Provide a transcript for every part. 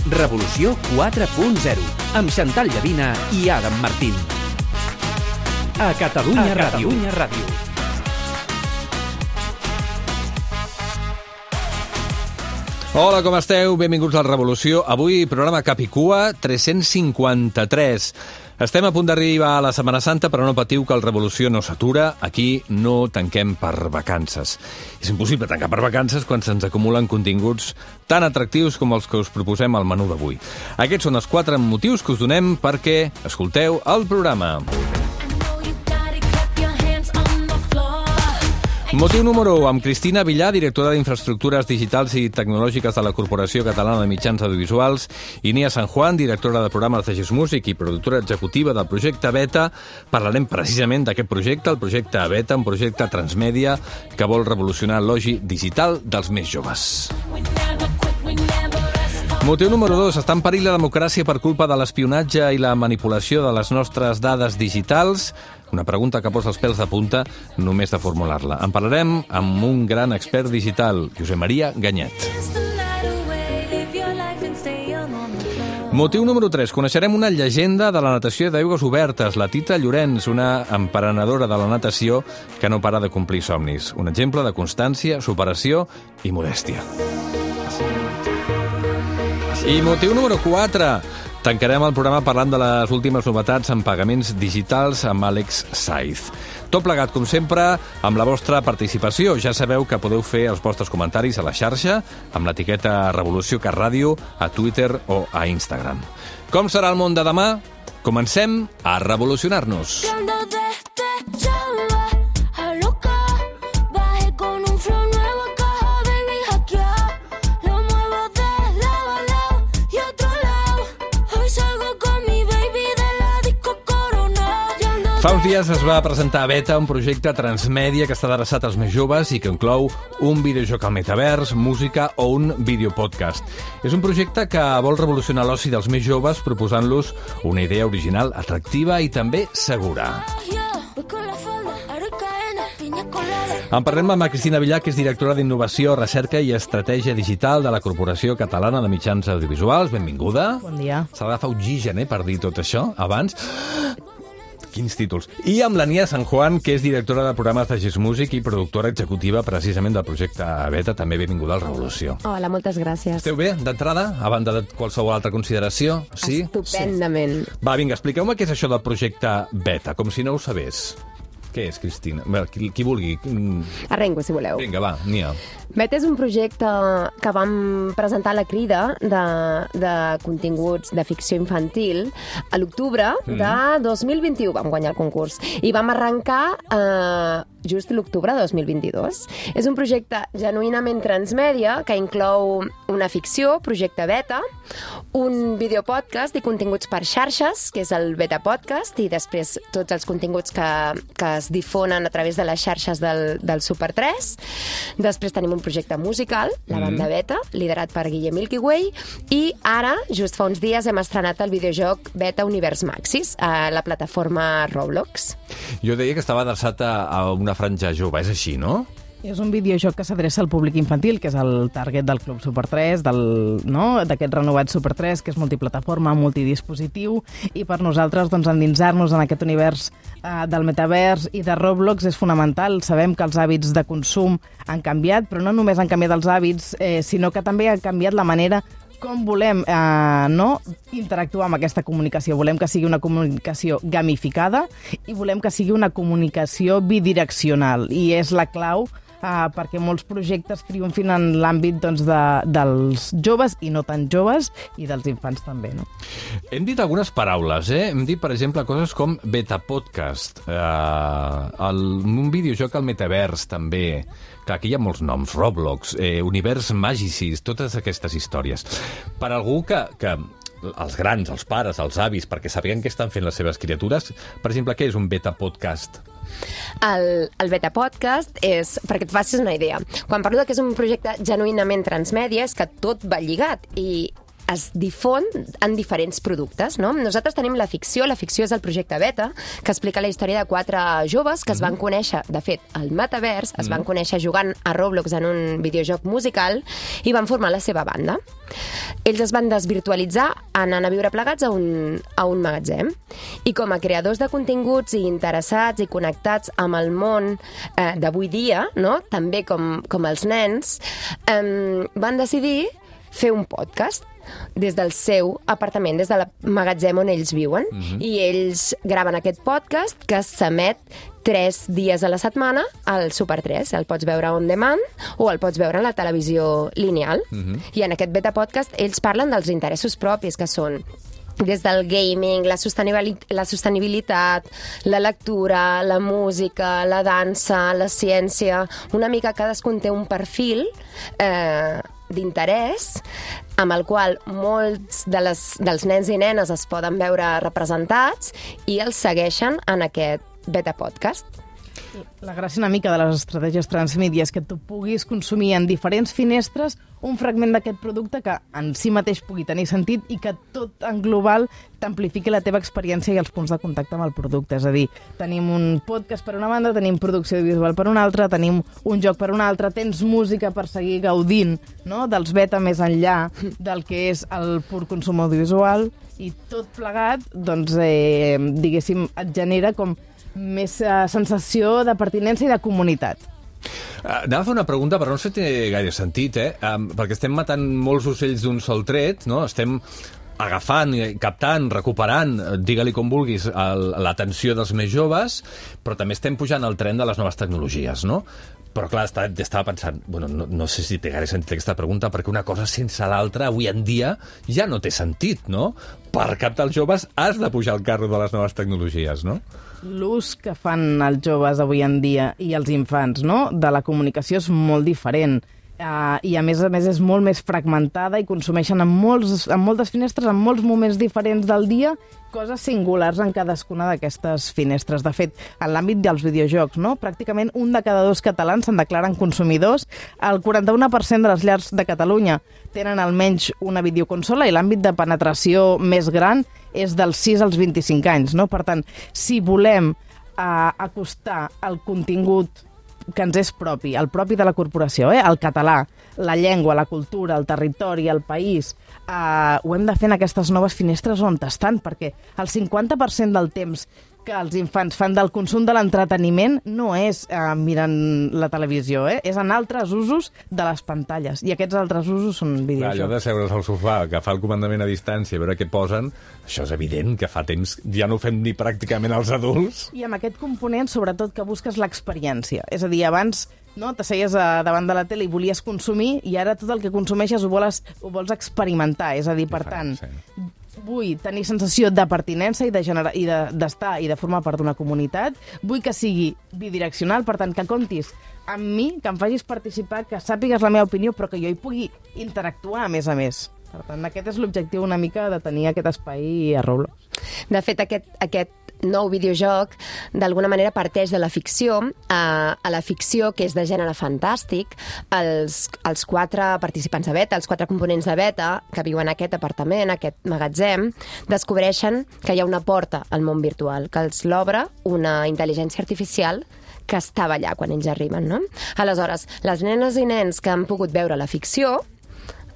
Revolució 4.0, amb Xantal Llavina i Adam Martín. A Catalunya Ràdio. Hola, com esteu? Benvinguts a la Revolució. Avui, programa Capicua 353. Estem a punt d'arribar a la Setmana Santa, però no patiu que el Revolució no s'atura. Aquí no tanquem per vacances. És impossible tancar per vacances quan se'ns acumulen continguts tan atractius com els que us proposem al menú d'avui. Aquests són els 4 motius que us donem perquè escolteu el programa. Motiu número 1, amb Cristina Villar, directora d'Infraestructures Digitals i Tecnològiques de la Corporació Catalana de Mitjans Audiovisuals, i Nia San Juan, directora de programes de Gest Music i productora executiva del projecte Beta. Parlarem precisament d'aquest projecte, el projecte Beta, un projecte transmèdia que vol revolucionar l'oci digital dels més joves. Motiu número 2. Està en perill la democràcia per culpa de l'espionatge i la manipulació de les nostres dades digitals? Una pregunta que posa els pèls de punta només de formular-la. En parlarem amb un gran expert digital, Josep Maria Ganyet. Motiu número 3. Coneixerem una llegenda de la natació d'aigües obertes, la Tita Llorenç, una emprenedora de la natació que no para de complir somnis. Un exemple de constància, superació i modèstia. I motiu número 4. Tancarem el programa parlant de les últimes novetats en pagaments digitals amb Àlex Saiz. Tot plegat, com sempre, amb la vostra participació. Ja sabeu que podeu fer els vostres comentaris a la xarxa amb l'etiqueta Revolució Cat Ràdio a Twitter o a Instagram. Com serà el món de demà? Comencem a revolucionar-nos. Fa uns dies es va presentar a Beta un projecte transmèdia que està adreçat als més joves i que inclou un videojoc al metavers, música o un videopodcast. És un projecte que vol revolucionar l'oci dels més joves proposant-los una idea original, atractiva i també segura. En parlem amb la Cristina Villar, que és directora d'Innovació, Recerca i Estratègia Digital de la Corporació Catalana de Mitjans Audiovisuals. Benvinguda. Bon dia. S'ha d'agafar oxigen, per dir tot això, abans. Quins títols. I amb la Nia San Juan, que és directora de programes de Gest Music i productora executiva precisament del projecte Beta. També benvinguda a la Revolució. Hola, moltes gràcies. Esteu bé, d'entrada, a banda de qualsevol altra consideració? Sí? Estupendament. Sí. Va, vinga, expliqueu-me què és això del projecte Beta, com si no ho sabés. Què és, Cristina? Qui vulgui. Arrenco, si voleu. Vinga, va, Nia. Beta és un projecte que vam presentar a la Crida de continguts de ficció infantil a l'octubre de 2021. Vam guanyar el concurs. I vam arrencar just l'octubre de 2022. És un projecte genuïnament transmèdia que inclou una ficció, projecte Beta, un videopodcast i continguts per xarxes, que és el Beta Podcast, i després tots els continguts que es difonen a través de les xarxes del Super 3. Després tenim un projecte musical, la banda Beta, liderat per Guillem Milky Way, i ara, just fa uns dies, hem estrenat el videojoc Beta Univers Maxis a la plataforma Roblox. Jo deia que estava adreçat a una franja jove, és així, no? És un videojoc que s'adreça al públic infantil, que és el target del Club Super 3, d'aquest renovat Super 3, que és multiplataforma, multidispositiu, i per nosaltres endinsar-nos en aquest univers del metavers i de Roblox és fonamental. Sabem que els hàbits de consum han canviat, però no només han canviat els hàbits, sinó que també ha canviat la manera com volem interactuar amb aquesta comunicació. Volem que sigui una comunicació gamificada i volem que sigui una comunicació bidireccional. I és la clau perquè molts projectes triomfin en l'àmbit dels joves i no tan joves i dels infants també. No? Hem dit algunes paraules. Hem dit, per exemple, coses com Beta Podcast, un videojoc al metavers també. Clar, aquí hi ha molts noms, Roblox, Univers Magicis, totes aquestes històries. Per algú que els grans, els pares, els avis, perquè sàpiguen què estan fent les seves criatures, per exemple, què és un Beta Podcast? El Beta Podcast és, perquè et facis una idea, quan parlo que és un projecte genuïnament transmèdia, és que tot va lligat i es difon en diferents productes, no? Nosaltres tenim la ficció és el projecte Beta, que explica la història de 4 joves que es van conèixer, de fet, al metavers, es van conèixer jugant a Roblox en un videojoc musical i van formar la seva banda. Ells es van desvirtualitzar anant a viure plegats a un magatzem. I com a creadors de continguts i interessats i connectats amb el món d'avui dia, no? També com els nens, van decidir fer un podcast des del seu apartament, des del magatzem on ells viuen. I ells graven aquest podcast que s'emet 3 dies a la setmana al Super 3. El pots veure on demand o el pots veure a la televisió lineal. I en aquest beta podcast ells parlen dels interessos propis, que són des del gaming, la sostenibilitat, la lectura, la música, la dansa, la ciència. Una mica cadascun té un perfil d'interès amb el qual molts dels nens i nenes es poden veure representats i els segueixen en aquest beta podcast. La gràcia una mica de les estratègies transmèdia és que tu puguis consumir en diferents finestres un fragment d'aquest producte que en si mateix pugui tenir sentit i que tot en global t'amplifiqui la teva experiència i els punts de contacte amb el producte. És a dir, tenim un podcast per una banda, tenim producció visual per una altra, tenim un joc per una altra, tens música per seguir gaudint, no?, dels beta més enllà del que és el pur consum audiovisual, i tot plegat, doncs, diguéssim, et genera com més sensació de pertinença i de comunitat. Anava a fer una pregunta, però no sé si té gaire sentit, perquè estem matant molts ocells d'un sol tret, no? Estem agafant, captant, recuperant, digue-li com vulguis, l'atenció dels més joves, però també estem pujant al tren de les noves tecnologies, no? Però, clar, estava pensant, bueno, no sé si té gaire sentit aquesta pregunta, perquè una cosa sense l'altra, avui en dia, ja no té sentit, no? Per captar els joves has de pujar al carro de les noves tecnologies, no? L'ús que fan els joves avui en dia i els infants, no?, de la comunicació és molt diferent. I a més és molt més fragmentada i consumeixen en moltes finestres, en molts moments diferents del dia, coses singulars en cadascuna d'aquestes finestres. De fet, en l'àmbit dels videojocs, no?, pràcticament 1 de cada 2 catalans se'n declaren consumidors. El 41% de les llars de Catalunya tenen almenys una videoconsola i l'àmbit de penetració més gran és dels 6 als 25 anys. No? Per tant, si volem acostar el contingut que ens és propi, el propi de la corporació, el català, la llengua, la cultura, el territori, el país, ho hem de fer en aquestes noves finestres on estan, perquè el 50% del temps que els infants fan del consum de l'entreteniment no és mirant la televisió, és en altres usos de les pantalles, i aquests altres usos són videojocs. Allò de seure's al sofà, agafar el comandament a distància, veure què posen, això és evident que fa temps ja no ho fem ni pràcticament els adults. I amb aquest component, sobretot, que busques l'experiència. És a dir, abans t'asseies davant de la tele i volies consumir, i ara tot el que consumeixes ho vols experimentar. És a dir, per tant, vull tenir sensació de pertinença i d'estar i de formar part d'una comunitat. Vull que sigui bidireccional, per tant, que comptis amb mi, que em facis participar, que sàpigues la meva opinió, però que jo hi pugui interactuar, a més a més. Per tant, aquest és l'objectiu una mica de tenir aquest espai a Roblox. De fet, aquest nou videojoc d'alguna manera parteix de la ficció. A la ficció, que és de gènere fantàstic, els 4 participants de beta, els 4 components de beta que viuen en aquest apartament, aquest magatzem, descobreixen que hi ha una porta al món virtual, que els l'obre una intel·ligència artificial que estava allà quan ells arriben, no? Aleshores, les nenes i nens que han pogut veure la ficció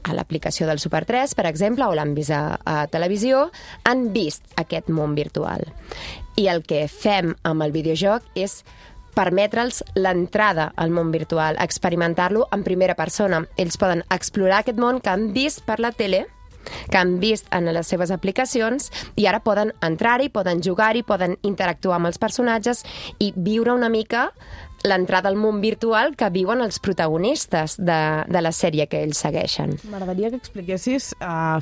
a l'aplicació del Super 3, per exemple, o l'han vist a televisió, han vist aquest món virtual. I el que fem amb el videojoc és permetre'ls l'entrada al món virtual, experimentar-lo en primera persona. Ells poden explorar aquest món que han vist per la tele, que han vist en les seves aplicacions, i ara poden entrar-hi, poden jugar-hi, poden interactuar amb els personatges i viure una mica l'entrada al món virtual que viuen els protagonistes de la sèrie que ells segueixen. M'agradaria que expliquessis,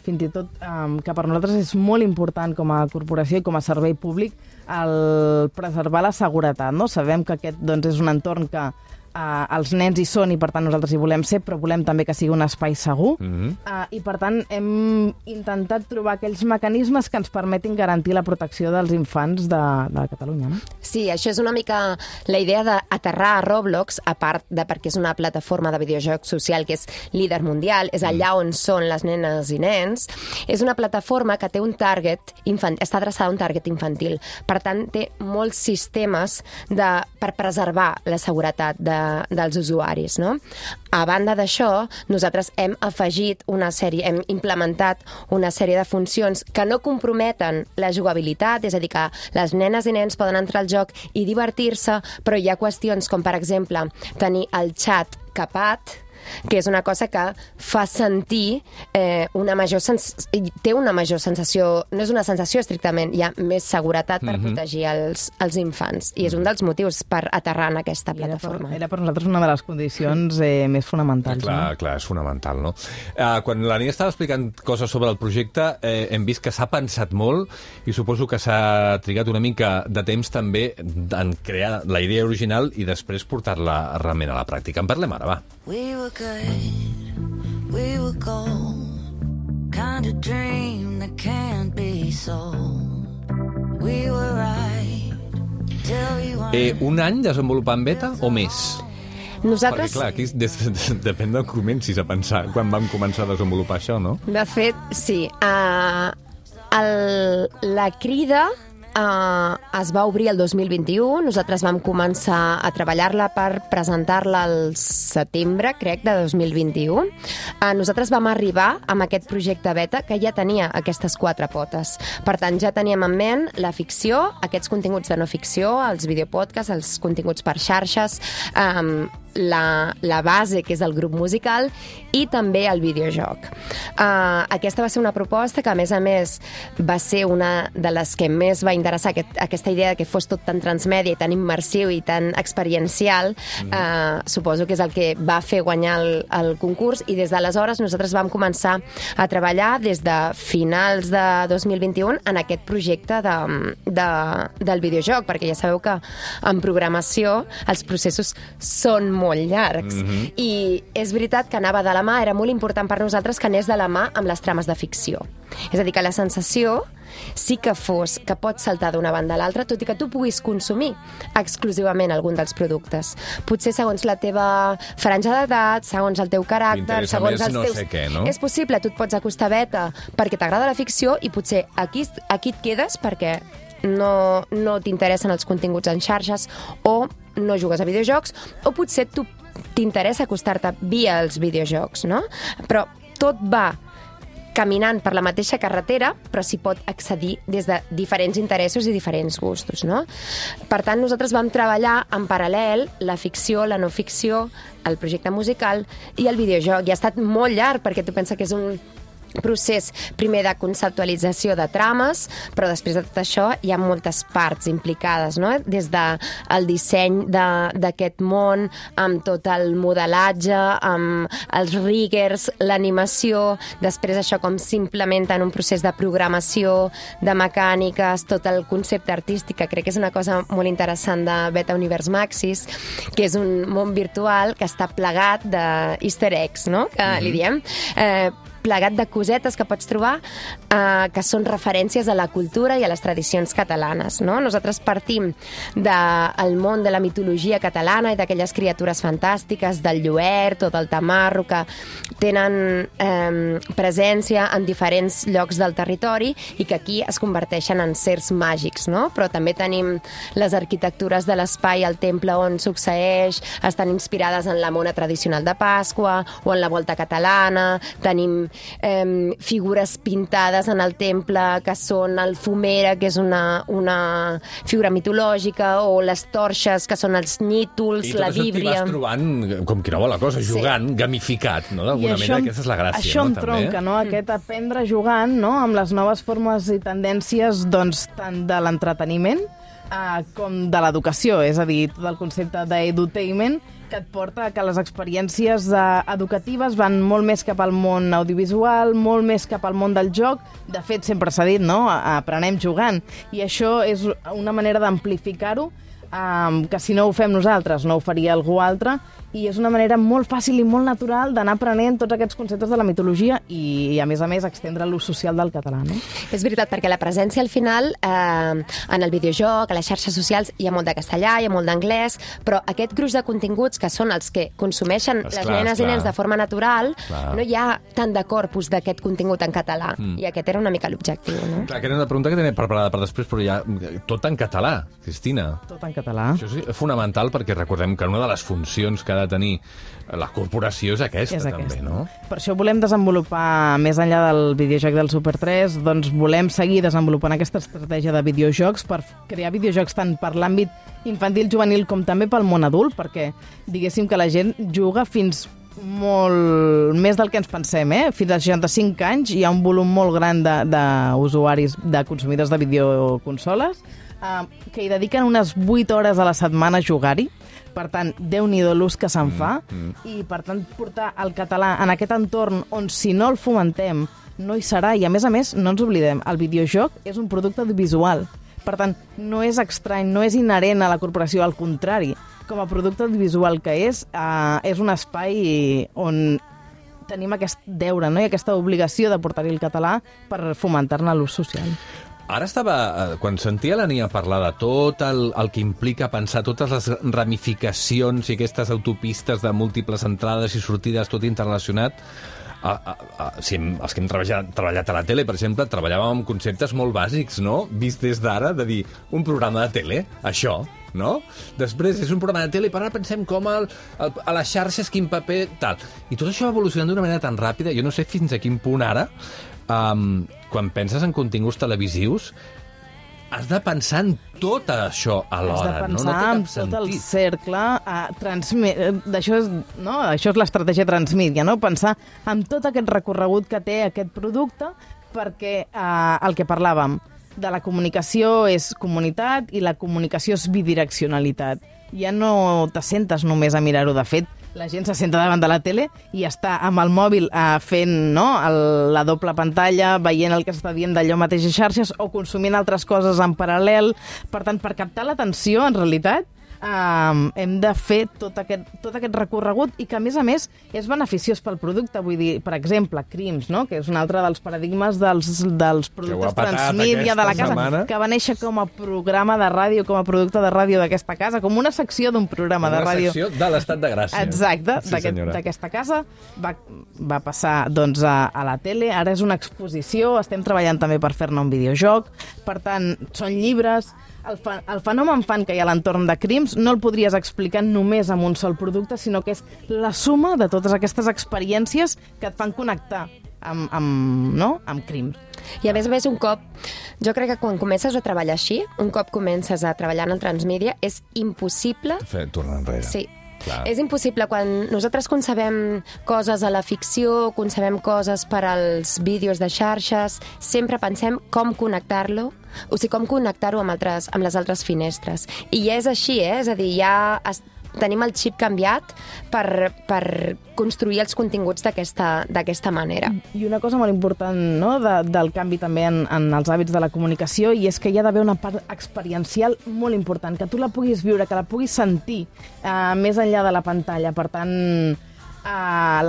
fins i tot, que per nosaltres és molt important com a corporació i com a servei públic el preservar la seguretat, no? Sabem que aquest és un entorn que els nens hi són i per tant nosaltres hi volem ser, però volem també que sigui un espai segur. I per tant hem intentat trobar aquells mecanismes que ens permetin garantir la protecció dels infants de Catalunya. No? Sí, això és una mica la idea d'aterrar a Roblox, a part de perquè és una plataforma de videojocs social que és líder mundial, és allà on són les nenes i nens. És una plataforma que té un target infantil, està adreçada a un target infantil. Per tant, té molts sistemes per preservar la seguretat dels usuaris. No? A banda d'això, nosaltres hem implementat una sèrie de funcions que no comprometen la jugabilitat, és a dir, que les nenes i nens poden entrar al joc i divertir-se, però hi ha qüestions com, per exemple, tenir el xat capat, que és una cosa que fa sentir té una major sensació, no és una sensació estrictament, hi ha més seguretat per protegir els infants, i és un dels motius per aterrar en aquesta plataforma. Era per nosaltres una de les condicions més fonamentals. Clar, és fonamental, no? Quan la Nia estava explicant coses sobre el projecte, hem vist que s'ha pensat molt i suposo que s'ha trigat una mica de temps també en crear la idea original i després portar-la realment a la pràctica. En parlem ara, va. We were good, we were gold, kind of dream that can't be sold. We were right till we weren't. Un any desenvolupant beta o més? Nosaltres... Perquè, clar, aquí depèn d'on comencis a pensar quan vam començar a desenvolupar això, no? De fet, sí. La crida es va obrir el 2021, nosaltres vam començar a treballar-la per presentar-la al setembre, crec, de 2021. Nosaltres vam arribar amb aquest projecte beta que ja tenia aquestes 4 potes. Per tant, ja teníem en ment la ficció, aquests continguts de no ficció, els videopodcasts, els continguts per xarxes, la base, que és el grup musical, i també el videojoc. Aquesta va ser una proposta que, a més, va ser una de les que més va interessar, aquesta idea que fos tot tan transmèdia i tan immersiu i tan experiencial. Suposo que és el que va fer guanyar el concurs, i des d'aleshores nosaltres vam començar a treballar des de finals de 2021 en aquest projecte del videojoc, perquè ja sabeu que en programació els processos són molt llargs. I és veritat que anava de la mà, era molt important per nosaltres que anés de la mà amb les trames de ficció. És a dir, que la sensació sí que fos que pots saltar d'una banda a l'altra, tot i que tu puguis consumir exclusivament algun dels productes. Potser segons la teva franja d'edat, segons el teu caràcter, segons els teus... sé què, no? És possible, tu et pots acostar beta perquè t'agrada la ficció i potser aquí et quedes perquè no t'interessen els continguts en xarxes o no jugues a videojocs, o potser tu t'interessa acostar-te via els videojocs, no? Però tot va caminant per la mateixa carretera, però s'hi pot accedir des de diferents interessos i diferents gustos, no? Per tant, nosaltres vam treballar en paral·lel la ficció, la no ficció, el projecte musical i el videojoc. I ha estat molt llarg, perquè tu penses que és un procés primer de conceptualització de trames, però després de tot això hi ha moltes parts implicades, no? Des del disseny d'aquest món, amb tot el modelatge, amb els riggers, l'animació, després això com s'implementa en un procés de programació, de mecàniques, tot el concepte artístic, que crec que és una cosa molt interessant de Beta Univers Maxis, que és un món virtual que està plegat d'easter eggs, no? Que li diem, plegat de cosetes que pots trobar que són referències a la cultura i a les tradicions catalanes, no? Nosaltres partim del món de la mitologia catalana i d'aquelles criatures fantàstiques, del lluert o del tamarro, que tenen presència en diferents llocs del territori i que aquí es converteixen en sers màgics, no? Però també tenim les arquitectures de l'espai al temple on succeeix, estan inspirades en la mona tradicional de Pasqua o en la volta catalana, tenim figures pintades en el temple que són el fumera, que és una figura mitològica, o les torxes, que són els nítols, la víbria. I tot això t'hi vas trobant, com qui no vol la cosa, jugant, gamificat, no? D'alguna manera, aquesta és la gràcia, això no? Això entronca, no? Aquest aprendre jugant, no? Amb les noves formes i tendències, doncs, tant de l'entreteniment com de l'educació, és a dir, tot el concepte d'edutainment, que et porta a que les experiències educatives van molt més cap al món audiovisual, molt més cap al món del joc. De fet, sempre s'ha dit, no? Aprenem jugant. I això és una manera d'amplificar-ho que si no ho fem nosaltres no ho faria algú altre, i és una manera molt fàcil i molt natural d'anar aprenent tots aquests conceptes de la mitologia i a més, extendre l'ús social del català. No? És veritat, perquè la presència al final, en el videojoc, a les xarxes socials, hi ha molt de castellà, hi ha molt d'anglès, però aquest gruix de continguts que són els que consumeixen les nenes i nens de forma natural, no hi ha tant de corpus d'aquest contingut en català. I aquest era una mica l'objectiu. No? Clar, que era una pregunta que tenia preparada per després, però ja tot en català, Cristina. Tot en català. Això és fonamental perquè recordem que una de les funcions que ha de tenir la corporació és aquesta, també, no? Per això volem desenvolupar, més enllà del videojoc del Super 3, doncs volem seguir desenvolupant aquesta estratègia de videojocs per crear videojocs tant per l'àmbit infantil, juvenil, com també pel món adult, perquè diguéssim que la gent juga fins molt més del que ens pensem, Fins als 65 anys hi ha un volum molt gran d'usuaris, de consumidors de videoconsoles, que hi dediquen unes 8 hores a la setmana a jugar-hi. Per tant, Déu-n'hi-do l'ús que se'n fa, i per tant portar el català en aquest entorn on si no el fomentem no hi serà, i a més, no ens oblidem, el videojoc és un producte audiovisual. Per tant, no és estrany, no és inherent a la corporació, al contrari. Com a producte audiovisual que és un espai on tenim aquest deure, no? I aquesta obligació de portar-hi el català per fomentar-ne l'ús social. Ara quan sentia la Nia parlar de tot el que implica pensar totes les ramificacions i aquestes autopistes de múltiples entrades i sortides, tot interrelacionat, els que hem treballat a la tele, per exemple, treballàvem amb conceptes molt bàsics, no? Vist des d'ara, de dir, un programa de tele, això, no? Després és un programa de tele i per ara pensem com a les xarxes, quin paper, tal. I tot això va evolucionant d'una manera tan ràpida, jo no sé fins a quin punt ara, quan penses en continguts televisius, has de pensar en tot això alhora, no? Has de pensar en tot el cercle. Això és l'estratègia Transmídia, no? Pensar en tot aquest recorregut que té aquest producte, perquè el que parlàvem, de la comunicació és comunitat i la comunicació és bidireccionalitat. Ja no t'assentes només a mirar-ho. De fet, la gent se senta davant de la tele i està amb el mòbil fent la doble pantalla, veient el que està dient d'allò mateix a xarxes o consumint altres coses en paral·lel. Per tant, per captar l'atenció, en realitat, hem de fer tot aquest recorregut i que, a més, és beneficiós pel producte. Vull dir, per exemple, Crims, no? Que és un altre dels paradigmes dels productes Transmídia de la casa, que va néixer com a programa de ràdio, com a producte de ràdio d'aquesta casa, com una secció d'un programa de ràdio. Una secció de l'Estat de Gràcia. Exacte, sí, d'aquesta casa. Va passar doncs, a la tele, ara és una exposició, estem treballant també per fer-ne un videojoc, per tant, són llibres. El fenomen fan que hi ha a l'entorn de Crims no el podries explicar només amb un sol producte, sinó que és la suma de totes aquestes experiències que et fan connectar amb Crims. I a més, un cop, jo crec que quan comences a treballar així, un cop comences a treballar en el Transmídia, és impossible... Tornar enrere. Sí. Clar. És impossible. Quan nosaltres concebem coses a la ficció, concebem coses per als vídeos de xarxes, sempre pensem com connectar-lo, o sigui, com connectar-ho amb les altres finestres. I és així, és a dir, ja tenim el xip canviat per construir els continguts d'aquesta manera. I una cosa molt important, no?, del canvi també en els hàbits de la comunicació, i és que hi ha d'haver una part experiencial molt important, que tu la puguis viure, que la puguis sentir més enllà de la pantalla. Per tant,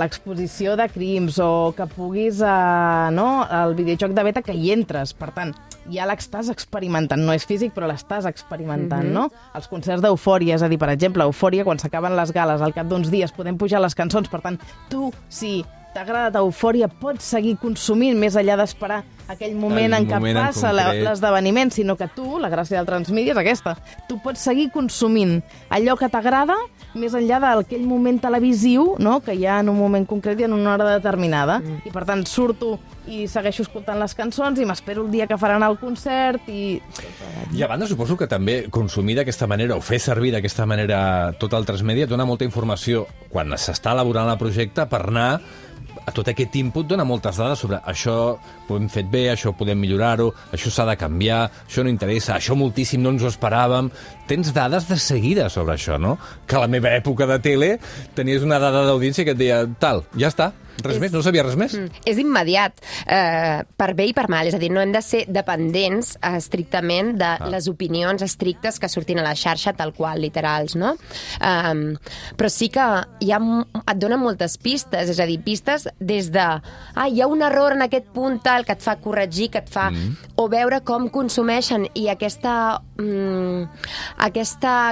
l'exposició de Crims o que puguis el videojoc de beta, que hi entres. Per tant, ja l'estàs experimentant. No és físic, però l'estàs experimentant, no? Els concerts d'Eufòria, és a dir, per exemple, Eufòria, quan s'acaben les gales, al cap d'uns dies podem pujar les cançons. Per tant, tu, si t'ha agradat Eufòria, pots seguir consumint més enllà d'esperar aquell moment en què passa l'esdeveniment, sinó que tu, la gràcia del Transmídia és aquesta, tu pots seguir consumint allò que t'agrada més enllà d'aquell moment televisiu, no?, que hi ha en un moment concret i en una hora determinada. I per tant surto i segueixo escoltant les cançons i m'espero el dia que faran el concert i a banda, suposo que també consumir d'aquesta manera o fer servir d'aquesta manera tot el Transmídia dona molta informació quan s'està elaborant el projecte per anar a tot aquest input, dona moltes dades sobre això ho hem fet bé, això podem millorar-ho, això s'ha de canviar, això no interessa, això moltíssim no ens ho esperàvem. Tens dades de seguida sobre això, no? Que a la meva època de tele tenies una dada d'audiència que et deia tal, ja està. Res més? No sabia res més? És immediat, per bé i per mal. És a dir, no hem de ser dependents estrictament de les opinions estrictes que surtin a la xarxa, tal qual, literals, no? Però sí que et donen moltes pistes, és a dir, pistes des de hi ha un error en aquest punt tal que et fa corregir, que et fa... O veure com consumeixen, i aquesta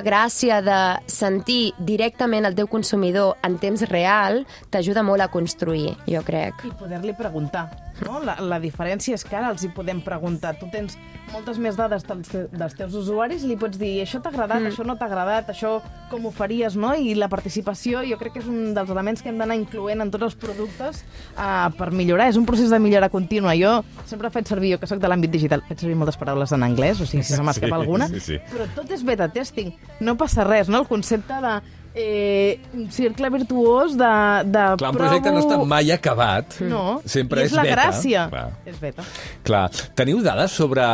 gràcia de sentir directament el teu consumidor en temps real t'ajuda molt a construir, jo crec. I poder-li preguntar, no? La diferència és que ara els hi podem preguntar. Tu tens moltes més dades dels teus usuaris i li pots dir això t'ha agradat, això no t'ha agradat, això com ho faries, no? I la participació jo crec que és un dels elements que hem d'anar incloent en tots els productes per millorar. És un procés de millora contínua. Jo sempre faig servir, jo que soc de l'àmbit digital, faig servir moltes paraules en anglès, o sigui, si se m'escapa alguna, però tot és beta testing. No passa res, no? El concepte de un cercle virtuós de Clar, un projecte no està mai acabat. No, sempre és la beta. gràcia. Clar. És beta. Clar. Teniu dades sobre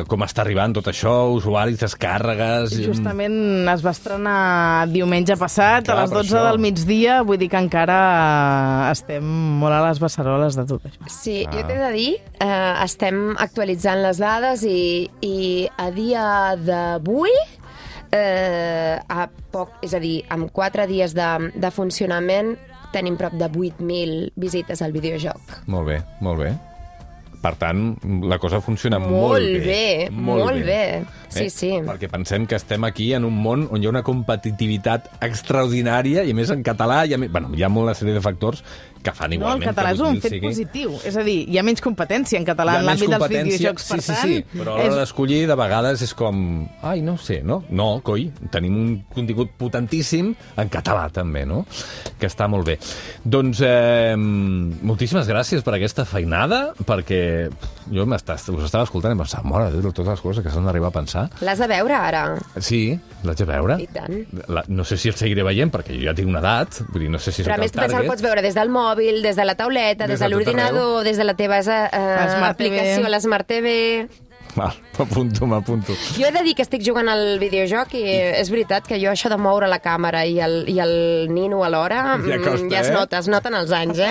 com està arribant tot això, usuaris, descàrregues... Justament es va estrenar diumenge passat, Clar, a les 12 del migdia, vull dir que encara estem molt a les beceroles de tot això. Sí, jo t'he de dir, estem actualitzant les dades i a dia d'avui, és a dir, amb 4 dies de funcionament tenim prop de 8.000 visites al videojoc. Molt bé, molt bé. Per tant, la cosa funciona molt bé. Molt bé. Sí, sí. Perquè pensem que estem aquí en un món on hi ha una competitivitat extraordinària, i a més en català hi ha una sèrie de factors que fan igualment. No, el català és un fet positiu. És a dir, hi ha menys competència en català en l'àmbit dels videojocs, per tant... Sí, però a l'hora d'escollir, de vegades és com... Ai, no sé, no? No, coi, tenim un contingut potentíssim en català, també, no? Que està molt bé. Doncs, moltíssimes gràcies per aquesta feinada, perquè jo us estava escoltant i pensava, mare de Déu, totes les coses que s'han d'arribar a pensar. L'has de veure, ara? Sí, l'haig de veure. I tant. No sé si el seguiré veient, perquè jo ja tinc una edat, vull dir, no sé si però a més, tu pensa, el pots veure des del mòbil, des de la tauleta, des de l'ordinador, des de la teva aplicació, l'Smart TV... M'apunto. Jo he de dir que estic jugant al videojoc i és veritat que jo això de moure la càmera i el nino alhora ja es noten els anys,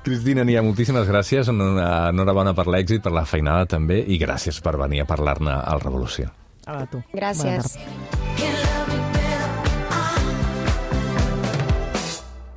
Cristina Nia, moltíssimes gràcies, enhorabona per l'èxit, per la feinada també, i gràcies per venir a parlar-ne al Revolució. A tu. Gràcies.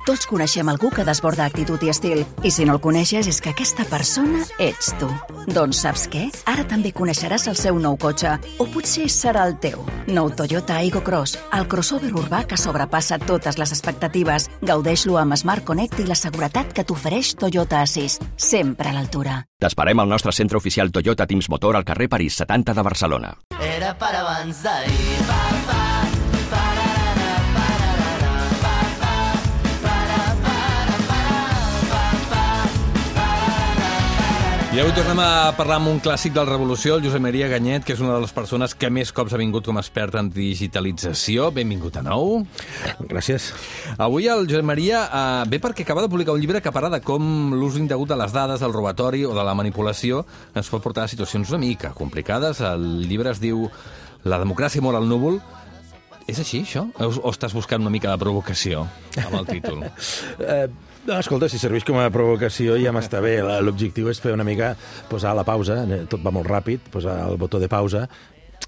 Tots coneixem algú que desborda actitud i estil. I si no el coneixes, és que aquesta persona ets tu. Doncs saps què? Ara també coneixeràs el seu nou cotxe. O potser serà el teu. Nou Toyota Aygo Cross, el crossover urbà que sobrepassa totes les expectatives. Gaudeix-lo amb Smart Connect i la seguretat que t'ofereix Toyota Assist. Sempre a l'altura. T'esperem al nostre centre oficial Toyota Teams Motor al carrer París 70 de Barcelona. Era per abans d'ahir, I avui tornem a parlar amb un clàssic del Revolució, el Josep Maria Ganyet, que és una de les persones que més cops ha vingut com a expert en digitalització. Benvingut a nou. Gràcies. Avui el Josep Maria ve perquè acaba de publicar un llibre que parla de com l'ús indegut de les dades, del robatori o de la manipulació ens pot portar a situacions una mica complicades. El llibre es diu La democràcia mor al núvol. És així, això? O estàs buscant una mica de provocació amb el títol? No, escolta, si serveix com a provocació ja m'està bé. L'objectiu és fer una mica, posar la pausa, tot va molt ràpid, posar el botó de pausa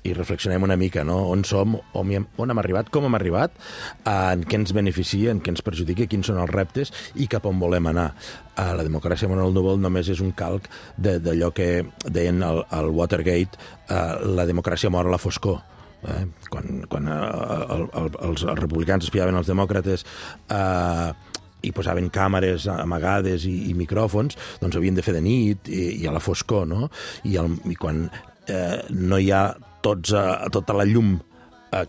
i reflexionem una mica, no? On som, on hem arribat, com hem arribat, en què ens beneficia, en què ens perjudica, quins són els reptes i cap on volem anar. La democràcia en el núvol només és un calc d'allò que deien al Watergate, la democràcia mor a la foscor. Quan els republicans espiaven els demòcrates i posaven càmeres amagades i micròfons, doncs havien de fer de nit i a la foscor, no? I quan no hi ha tota la llum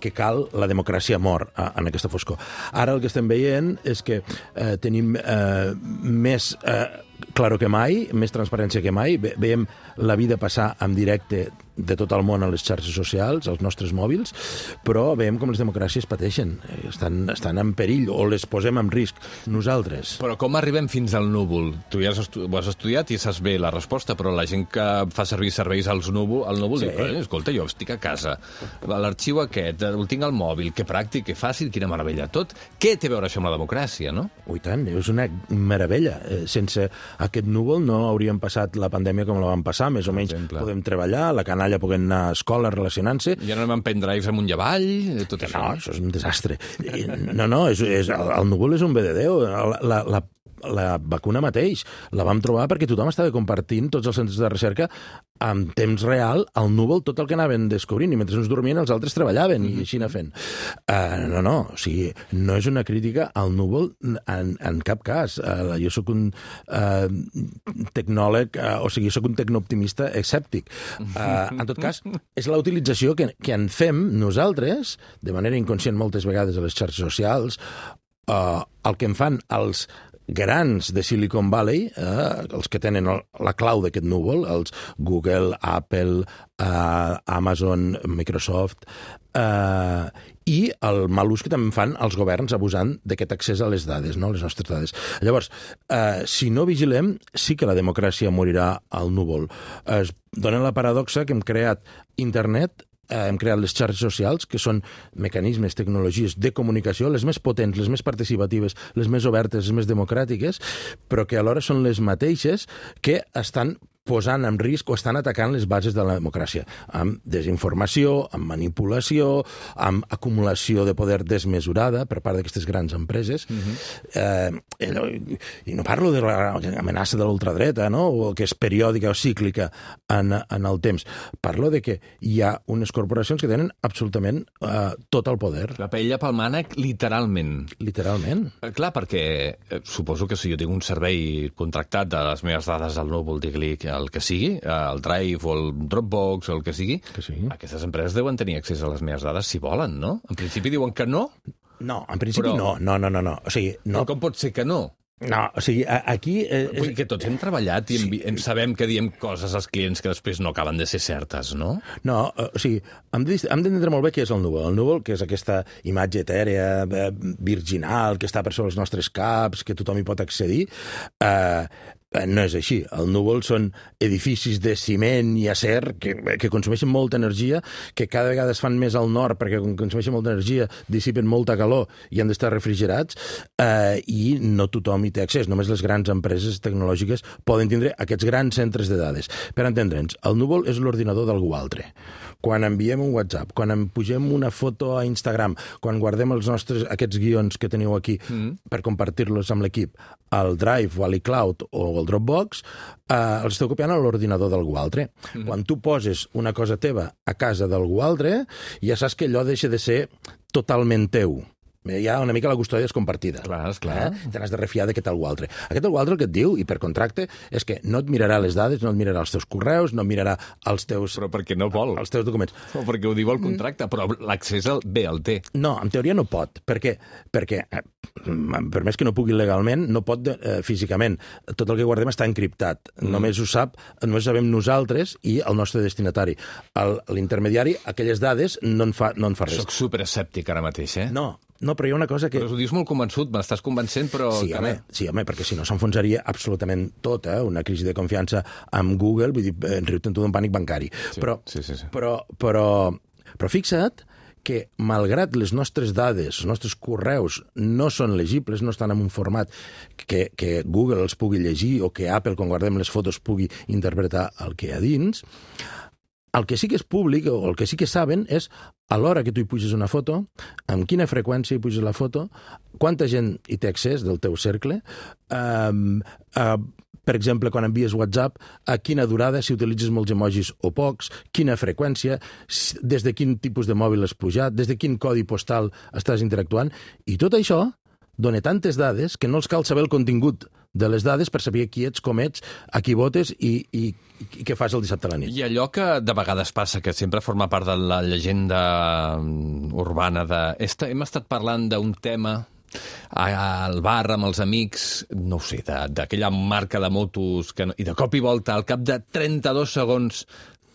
que cal, la democràcia mor en aquesta foscor. Ara el que estem veient és que tenim més claro que mai, més transparència que mai. Veiem la vida passar en directe de tot el món a les xarxes socials, als nostres mòbils, però veiem com les democràcies pateixen, estan en perill o les posem en risc nosaltres. Però com arribem fins al núvol? Tu ja ho has estudiat i saps bé la resposta, però la gent que fa servir serveis al núvol diu, escolta, jo estic a casa, l'arxiu aquest, el tinc al mòbil, que pràctic, que fàcil, quina meravella. Tot, què té a veure això amb la democràcia, no? Ui, tant, és una meravella. Sense aquest núvol no hauríem passat la pandèmia com la vam passar, més o menys podem treballar, la canalla puguem anar a escola relacionant-se. Ja no anem amb pendrives amunt i avall, tot això. No, això és un desastre. No, el núvol és un bé de Déu. La vacuna mateix la vam trobar perquè tothom estava compartint, tots els centres de recerca, en temps real, al núvol, tot el que anaven descobrint, i mentre uns dormien els altres treballaven, i així anar fent. O sigui, no és una crítica al núvol en cap cas. Jo sóc un tecnòleg, o sigui, sóc un tecnooptimista escèptic. En tot cas, és la utilització que en fem nosaltres, de manera inconscient moltes vegades a les xarxes socials, el que en fan els grans de Silicon Valley, els que tenen la clau d'aquest núvol, els Google, Apple, Amazon, Microsoft, i el mal ús que també fan els governs abusant d'aquest accés a les dades, no? Les nostres dades. Llavors, si no vigilem, sí que la democràcia morirà al núvol. Es dona la paradoxa que hem creat internet, hem creat les xarxes socials, que són mecanismes, tecnologies de comunicació, les més potents, les més participatives, les més obertes, les més democràtiques, però que alhora són les mateixes que estan posant en risc o estan atacant les bases de la democràcia, amb desinformació, amb manipulació, amb acumulació de poder desmesurada per part d'aquestes grans empreses. I no parlo de l'amenaça de l'ultradreta, no? O que és periòdica o cíclica en el temps. Parlo de que hi ha unes corporacions que tenen absolutament tot el poder. La paella pel mànec, literalment. Literalment. Clar, perquè suposo que si jo tinc un servei contractat de les meves dades al núvol, digui el que sigui, el Drive o el Dropbox o el que sigui, aquestes empreses deuen tenir accés a les meves dades si volen, no? En principi diuen que no? No, en principi no. O sigui, no. Però com pot ser que no? No, o sigui, aquí... Vull dir que tots hem treballat i sabem que diem coses als clients que després no acaben de ser certes, no? No, o sigui, hem d'entendre molt bé què és el núvol. El núvol, que és aquesta imatge etèrea, virginal, que està per sobre els nostres caps, que tothom hi pot accedir, no és així. El núvol són edificis de ciment i acer que consumeixen molta energia, que cada vegada es fan més al nord perquè consumeixen molta energia, dissipen molta calor i han d'estar refrigerats, i no tothom hi té accés. Només les grans empreses tecnològiques poden tindre aquests grans centres de dades. Per entendre'ns, el núvol és l'ordinador d'algú altre. Quan enviem un WhatsApp, quan en pugem una foto a Instagram, quan guardem aquests guions que teniu aquí per compartir-los amb l'equip, al Drive o a l'iCloud o al Dropbox, els esteu copiant a l'ordinador d'algú altre. Quan tu poses una cosa teva a casa d'algú altre, ja saps que allò deixa de ser totalment teu. Hi ha una mica la custòdia és compartida. Clar, esclar. Te n'has de refiar d'aquest algú altre. Aquest algú altre el que et diu, i per contracte, és que no et mirarà les dades, no et mirarà els teus correus, no et mirarà els teus... Però perquè no vol. Els teus documents. O perquè ho diu el contracte, però l'accés bé el té. No, en teoria no pot, perquè per més que no pugui legalment, no pot físicament. Tot el que guardem està encriptat. Només ho sabem nosaltres i el nostre destinatari. L'intermediari, aquelles dades, no en fa res. Soc superescèptic ara mateix, No, però hi ha una cosa que... Però ho dius molt convençut, m'estàs convencent, però... Sí, home, perquè si no s'enfonsaria absolutament tot, una crisi de confiança amb Google, vull dir, riu-te'n tu d'un pànic bancari. Sí. Però fixa't que, malgrat les nostres dades, els nostres correus no són legibles, no estan en un format que Google els pugui llegir o que Apple, quan guardem les fotos, pugui interpretar el que hi ha dins, el que sí que és públic, o el que sí que saben, és a l'hora que tu hi puges una foto, amb quina freqüència hi puges la foto, quanta gent hi té accés del teu cercle, per exemple, quan envies WhatsApp, a quina durada, si utilitzes molts emojis o pocs, quina freqüència, des de quin tipus de mòbil has pujat, des de quin codi postal estàs interactuant, i tot això dona tantes dades que no els cal saber el contingut de les dades per saber qui ets, com ets, a qui votes i què fas el dissabte a la nit. I allò que de vegades passa, que sempre forma part de la llegenda urbana hem estat parlant d'un tema al bar amb els amics, no ho sé, d'aquella marca de motos, i de cop i volta, al cap de 32 segons,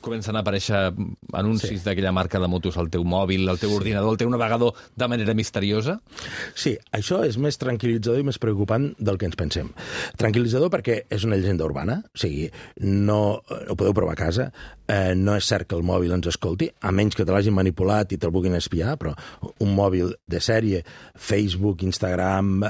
comencen a aparèixer anuncis d'aquella marca de motos al teu mòbil, al teu ordinador, al teu navegador, de manera misteriosa? Sí, això és més tranquil·litzador i més preocupant del que ens pensem. Tranquil·litzador perquè és una llegenda urbana, o sigui, no ho podeu provar a casa, no és cert que el mòbil ens escolti, a menys que te l'hagin manipulat i te'l vulguin espiar, però un mòbil de sèrie, Facebook, Instagram,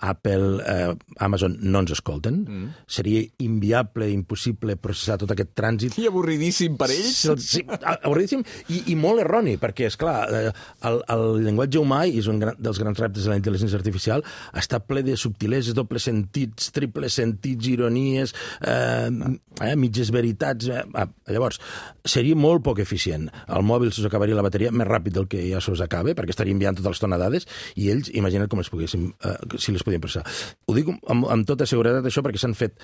Apple, Amazon, no ens escolten. Seria inviable, impossible processar tot aquest trànsit. I avorridíssim per ells? Sí, avorridíssim i molt erroni, perquè, esclar, el llenguatge humà, i és un dels grans reptes de la intel·ligència artificial, està ple de subtileses, dobles sentits, triples sentits, ironies, mitges veritats. Llavors, seria molt poc eficient. El mòbil se us acabaria la bateria més ràpid del que ja se us acaba, perquè estaria enviant tota l'estona dades, i ells, imagina't com si les podien processar. Ho dic amb tota seguretat, això, perquè s'han fet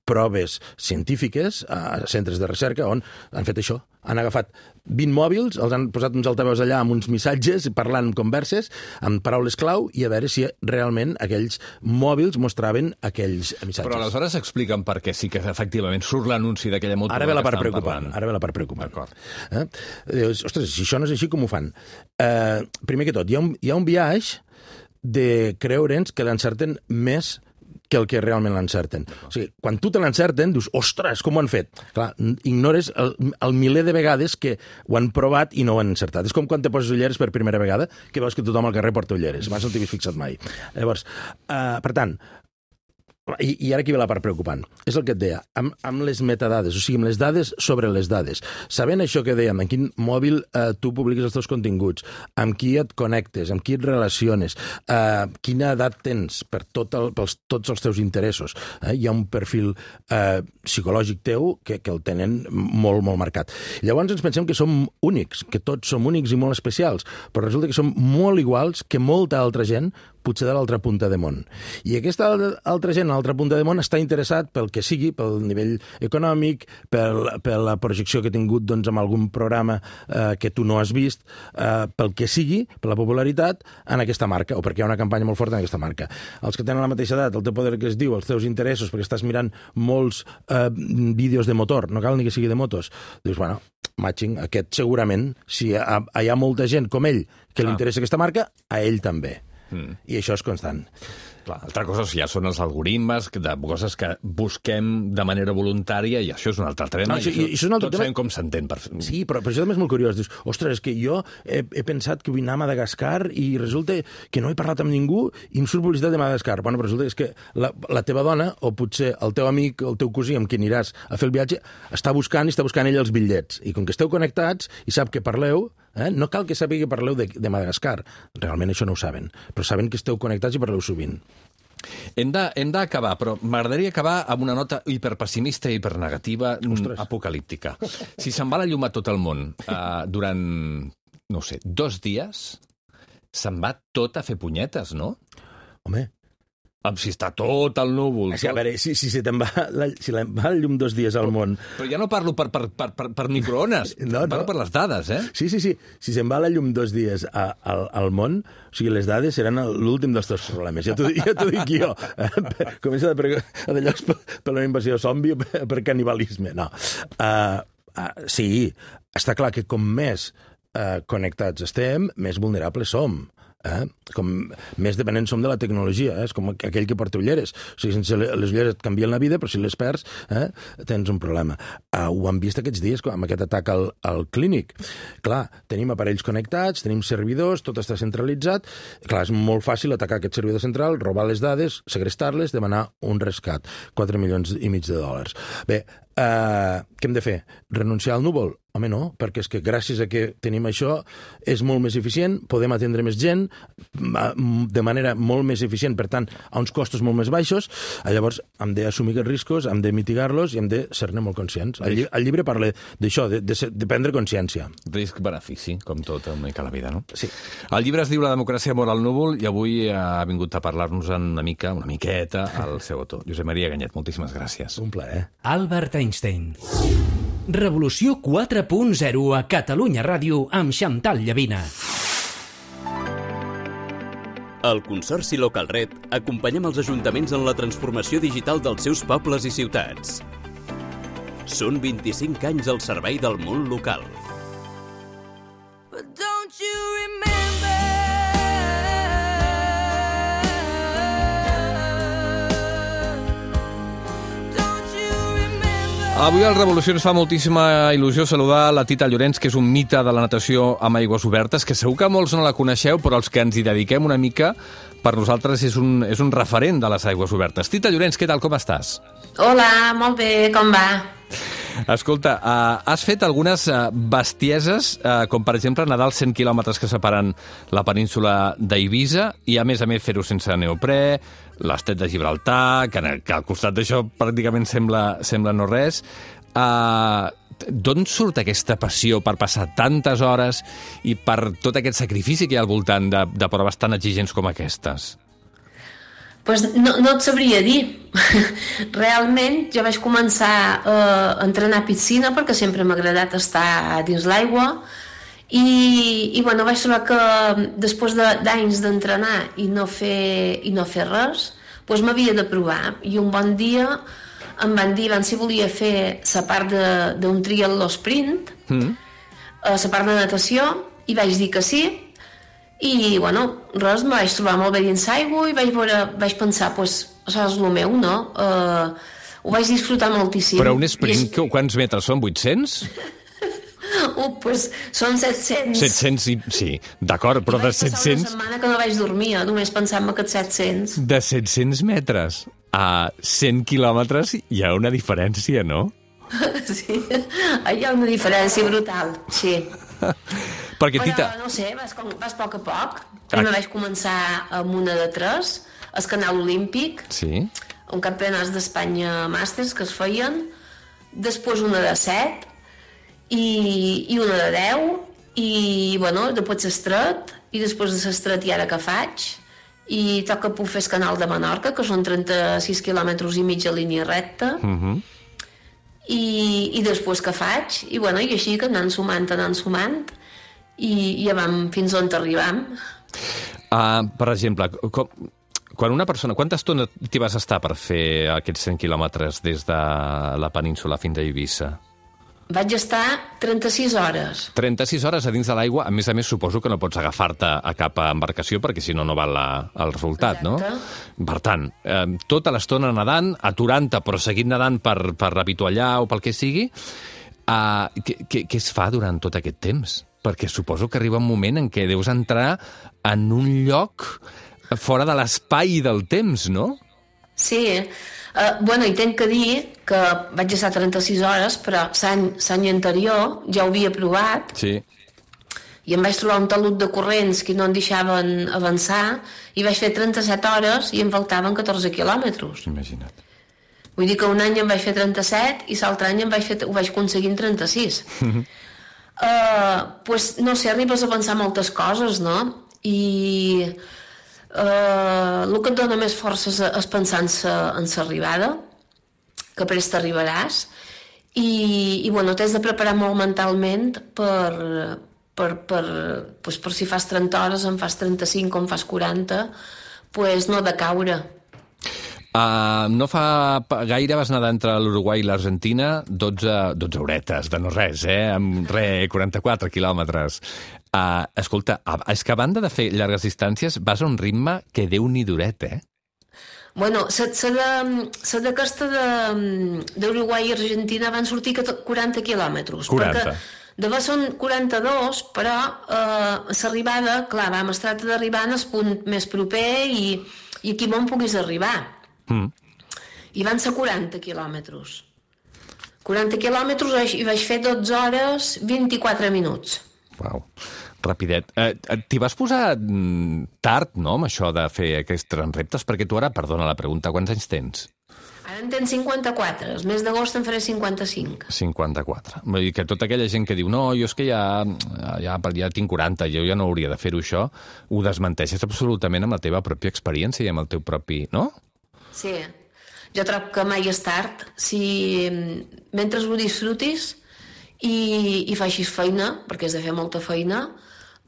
proves científiques a centres de recerca on han fet això. Han agafat 20 mòbils, els han posat uns altaveus allà amb uns missatges, parlant converses, amb paraules clau, i a veure si realment aquells mòbils mostraven aquells missatges. Però aleshores expliquen per què sí que efectivament surt l'anunci d'aquella moto. Ara ve la part preocupant. D'acord. Dius, ostres, si això no és així, com ho fan? Primer que tot, hi ha un biaix de creure'ns que l'encerten més que el que realment l'encerten. O sigui, quan tu te l'encerten, dius, ostres, com ho han fet? Clar, ignores el miler de vegades que ho han provat i no ho han encertat. És com quan te poses ulleres per primera vegada, que veus que tothom al carrer porta ulleres. Abans no t'hi havies fixat mai. Llavors, per tant, i ara aquí ve la part preocupant. És el que et deia, amb les metadades, o sigui, amb les dades sobre les dades. Sabent això que dèiem, en quin mòbil tu publiques els teus continguts, amb qui et connectes, amb qui et relaciones, quina edat tens per tots els teus interessos. Hi ha un perfil psicològic teu que el tenen molt, molt marcat. Llavors ens pensem que som únics, que tots som únics i molt especials, però resulta que som molt iguals que molta altra gent, potser de l'altra punta de món. I aquesta altra gent a l'altra punta de món està interessat pel que sigui, pel nivell econòmic, per la projecció que ha tingut doncs, amb algun programa que tu no has vist, pel que sigui, per la popularitat, en aquesta marca, o perquè hi ha una campanya molt forta en aquesta marca. Els que tenen la mateixa edat, el teu poder que es diu, els teus interessos, perquè estàs mirant molts vídeos de motor, no cal ni que sigui de motos, dius, bueno, matching, aquest segurament, si hi ha molta gent com ell que li interessa aquesta marca, a ell també. I això és constant. Clar, altra cosa ja són els algoritmes de coses que busquem de manera voluntària, i això és un altre tema. Tots sabem com s'entén. Sí, però això també és molt curiós. Dius, ostres, és que jo he pensat que vull anar a Madagascar i resulta que no he parlat amb ningú i em surt publicitat de Madagascar. Bueno, però resulta que la teva dona, o potser el teu amic, el teu cosí amb qui aniràs a fer el viatge, està buscant ell els bitllets. I com que esteu connectats i sap que parleu, no cal que sàpiga que parleu de Madagascar. Realment això no ho saben, però saben que esteu connectats i parleu sovint. Hem d'acabar, però m'agradaria acabar amb una nota hiperpessimista i hipernegativa, apocalíptica. Si se'n va la llum a tot el món durant, no sé, 2 dies, se'n va tot a fer punyetes, no? Home... Si està tot el núvol... A veure, si se'n va la llum 2 dies al món... Però ja no parlo per microones, parlo per les dades, eh? Sí. Si se'n va la llum 2 dies al món, o sigui, les dades seran l'últim dels teus problemes. Ja t'ho dic jo. Comença de llocs per una invasió zombi o per canibalisme. No. Sí, està clar que com més connectats estem, més vulnerables som. Com més dependents som de la tecnologia, és com aquell que porta ulleres. O sigui, sense les ulleres et canvien la vida, però si les perds tens un problema. Ho hem vist aquests dies amb aquest atac al clínic. Clar, tenim aparells connectats, tenim servidors, tot està centralitzat. Clar, és molt fàcil atacar aquest servidor central, robar les dades, segrestar-les, demanar un rescat. $4,5 milions. Bé, què hem de fer? Renunciar al núvol? Home, no, perquè és que gràcies a que tenim això és molt més eficient, podem atendre més gent de manera molt més eficient, per tant, a uns costos molt més baixos. Llavors, hem d'assumir aquests riscos, hem de mitigar-los i hem de ser-ne molt conscients. El llibre parla d'això, de prendre consciència. Risc-benefici, com tot una mica la vida, no? Sí. El llibre es diu La democràcia mor al núvol i avui ha vingut a parlar-nos una miqueta, el seu autor. Josep Maria Ganyet, moltíssimes gràcies. Un plaer. Albert Einstein. Revolució 4.0 a Catalunya Ràdio amb Xantal Llavina. Al Consorci Localred acompanyem els ajuntaments en la transformació digital dels seus pobles i ciutats. Són 25 anys al servei del món local. But don't you remember? Avui al Revolució ens fa moltíssima il·lusió saludar la Tita Llorenç, que és un mite de la natació amb aigües obertes, que segur que molts no la coneixeu, però els que ens hi dediquem una mica, per nosaltres és un referent de les aigües obertes. Tita Llorenç, què tal, com estàs? Hola, molt bé, com va? Escolta, has fet algunes bestieses, com per exemple nedar els 100 quilòmetres que separen la península d'Eivissa i a més fer-ho sense neoprè, l'estret de Gibraltar, que al costat d'això pràcticament sembla no res. D'on surt aquesta passió per passar tantes hores i per tot aquest sacrifici que hi ha al voltant de proves tan exigents com aquestes? Pues no et sabria dir. Realment jo vaig començar a entrenar piscina perquè sempre m'ha agradat estar dins l'aigua i bueno, vaig trobar que després d'anys d'entrenar i no fer res, doncs m'havia de provar. I un bon dia em van dir si volia fer la part d'un triatló sprint, la part de natació, i vaig dir que sí. I, bueno, res, me vaig trobar molt bé dins l'aigua i vaig pensar, doncs, això és el meu, no? Ho vaig disfrutar moltíssim. Però un sprint, quants metres són? 800? Doncs són 700. 700, sí, d'acord, però de 700... I vaig passar una setmana que no vaig dormir, només pensant-me que 700. De 700 metres a 100 quilòmetres hi ha una diferència, no? Sí, hi ha una diferència brutal, sí. Perquè, Tita... Però, no sé, vas a poc a poc. Primer vaig començar amb una de 3, al Canal Olímpic, un campionats d'Espanya màsters que es feien, després una de 7 i una de 10, i, bueno, després l'estret, i després de l'estret i ara que faig, i toca puc fer el Canal de Menorca, que són 36 quilòmetres i mig a línia recta, i després que faig, i, bueno, i així que anant sumant, i ja vam fins on arribam. Per exemple, quan una persona... Quanta estona t'hi vas estar per fer aquests 100 quilòmetres des de la península fins a Eivissa? Vaig estar 36 hores. 36 hores a dins de l'aigua. A més, suposo que no pots agafar-te a cap embarcació perquè si no, no val el resultat, no? Per tant, tota l'estona nedant, aturant-te, però seguint nedant per revituallar o pel que sigui, què es fa durant tot aquest temps? Perquè suposo que arriba un moment en què deus entrar en un lloc fora de l'espai i del temps, no? Sí. Bueno, i tenc que dir que vaig estar 36 hores, però l'any anterior ja ho havia provat. Sí. I em vaig trobar un talut de corrents que no em deixaven avançar i vaig fer 37 hores i em faltaven 14 quilòmetres. Imagina't. Vull dir que un any em vaig fer 37 i l'altre any ho vaig aconseguir en 36. Pues, no sé, arribes a pensar moltes coses, no? I el que et dona més força és pensar en l'arribada, que prest t'arribaràs, i bueno, t'has de preparar molt mentalment per si fas 30 hores, en fas 35 o en fas 40, pues no de caure. No fa gaire vas nedar entre l'Uruguai i l'Argentina 12 horetes, de no res, amb 44 quilòmetres. Escolta, és que a banda de fer llargues distàncies vas a un ritme que Déu-n'hi-duret, Bueno, la de costa d'Uruguai i Argentina van sortir 40 quilòmetres. 40. D'haver són 42, però l'arribada, clar, vam estar d'arribar en el punt més proper i aquí on puguis arribar. I van ser 40 quilòmetres. 40 quilòmetres i vaig fer 12 hores 24 minuts. Uau, rapidet. T'hi vas posar tard, no?, amb això de fer aquests reptes? Perquè tu ara, perdona la pregunta, quants anys tens? Ara en tens 54. El mes d'agost en faré 55. 54. Vull dir que tota aquella gent que diu no, jo és que ja tinc 40, jo ja no hauria de fer-ho això, ho desmenteixes absolutament amb la teva pròpia experiència i amb el teu propi... no? Sí. Jo trobo que mai és tard. Si mentre ho disfrutis i facis feina, perquè has de fer molta feina,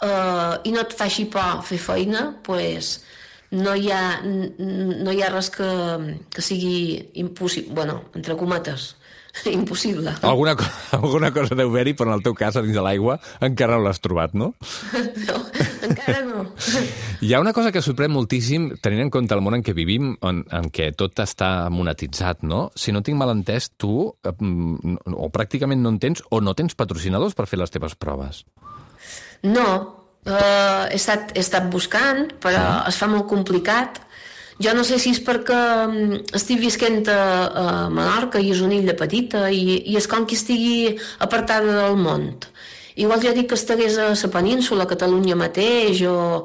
i no et faci por fer feina, doncs no hi ha res que sigui impossible, bueno, entre cometes, impossible. Alguna cosa deu haver-hi, però en el teu cas, a dins de l'aigua, encara no l'has trobat, no? No, encara no. Hi ha una cosa que sorprèn moltíssim, tenint en compte el món en què vivim, en què tot està monetitzat, no? Si no tinc mal entès, tu o pràcticament no en tens o no tens patrocinadors per fer les teves proves. No, he estat buscant, però es fa molt complicat. Jo no sé si és perquè estic visquent a Menorca i és una illa petita i és com que estigui apartada del món. Igual jo dic que estigués a la península, a Catalunya mateix, o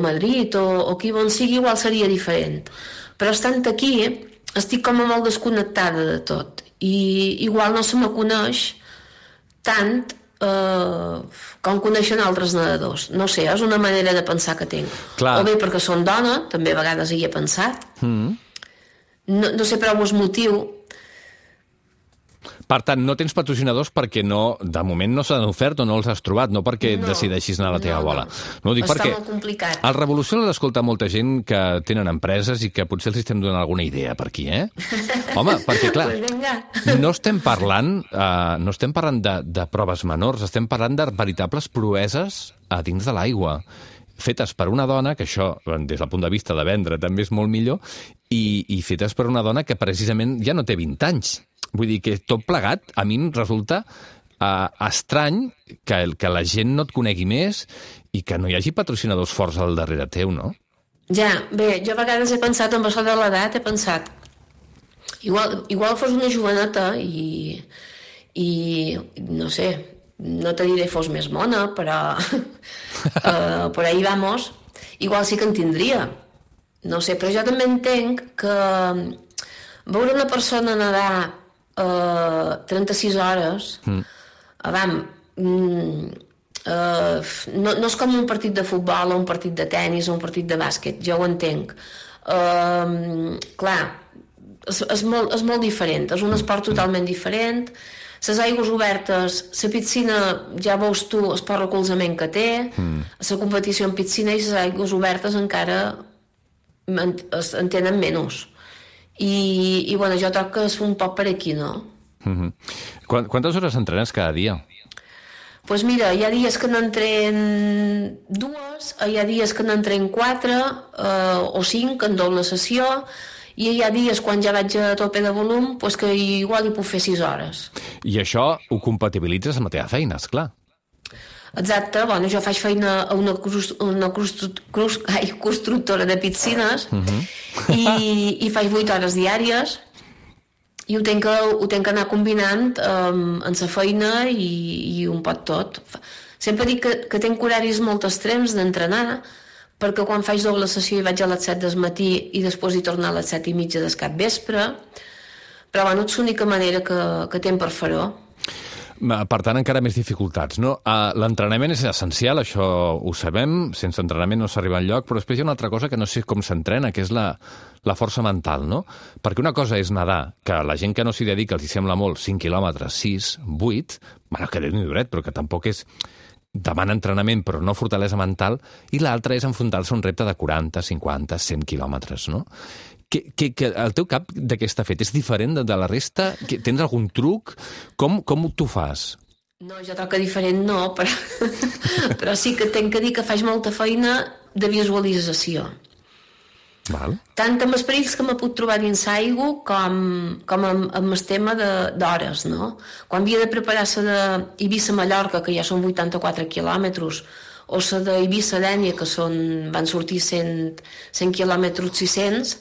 Madrid, o aquí on sigui, igual seria diferent. Però estant aquí, estic com molt desconnectada de tot. I igual no se me coneix tant com coneixen altres nedadors. No sé, és una manera de pensar que tinc. Clar. O bé perquè són dona, també a vegades hi he pensat. No sé prou el motiu. Per tant, no tens patrocinadors perquè de moment no s'han ofert o no els has trobat, no perquè decideixis anar a la teva bola. No, dic està perquè molt complicat. al Revolució l'ha d'escoltar molta gent que tenen empreses i que potser els estem donant alguna idea per aquí, eh? Home, perquè clar, no estem parlant de proves menors, estem parlant de veritables proeses a dins de l'aigua, fetes per una dona, que això, des del punt de vista de vendre, també és molt millor, i fetes per una dona que precisament ja no té 20 anys. Vull dir que tot plegat, a mi em resulta estrany que la gent no et conegui més i que no hi hagi patrocinadors forts al darrere teu, no? Ja, bé, jo a vegades he pensat, amb això de l'edat, he pensat, igual fos una joveneta i no sé, no te diré fos més mona, però por ahí vamos, igual sí que en tindria. No sé, però jo també entenc que veure una persona nedar 36 hores no és com un partit de futbol o un partit de tennis o un partit de bàsquet, jo ho entenc. Clar, és molt diferent, és un esport totalment diferent. Les aigües obertes, la piscina, ja veus tu el poc recolzament que té, la competició en piscina i les aigües obertes encara en tenen menys. I bueno, jo trobo que és un poc per aquí, no? Quantes hores entrenes cada dia? Doncs mira, hi ha dies que n'entren 2, hi ha dies que n'entren 4 o 5 en doble sessió, i hi ha dies quan ja vaig a tope de volum doncs que igual hi puc fer 6 hores. I això ho compatibilitzes amb la teva feina, esclar. Exacte, bueno, jo faig feina a una constructora de piscines i faig 8 hores diàries i ho tenc que anar combinant amb la feina i un pot tot. Sempre dic que tenc horaris molt extrems d'entrenar perquè quan faig doble sessió hi vaig a les 7 del matí i després hi torno a les 7:30 del capvespre, però bueno, és l'única manera que tenc per fer-ho. Per tant, encara més dificultats, no? L'entrenament és essencial, això ho sabem, sense entrenament no s'arriba enlloc, però després hi ha una altra cosa que no sé com s'entrena, que és la força mental, no? Perquè una cosa és nedar, que la gent que no s'hi dedica els hi sembla molt, 5 quilòmetres, 6, 8, bueno, que Déu-n'hi duret, però que tampoc és... demana entrenament, però no fortalesa mental, i l'altra és enfrontar-se a un repte de 40, 50, 100 quilòmetres, no? Que el teu cap de què està fet? És diferent de la resta? Tens algun truc? Com t'ho fas? No, jo trobo que diferent no, però sí que tenc que dir que faig molta feina de visualització. Val. Tant amb els perills que m'he pogut trobar dins l'aigua com amb el tema d'hores, no? Quan havia de preparar-se d'Eivissa-Mallorca, que ja són 84 quilòmetres, o la d'Eivissa-Dénia, que van sortir 100 quilòmetres 600,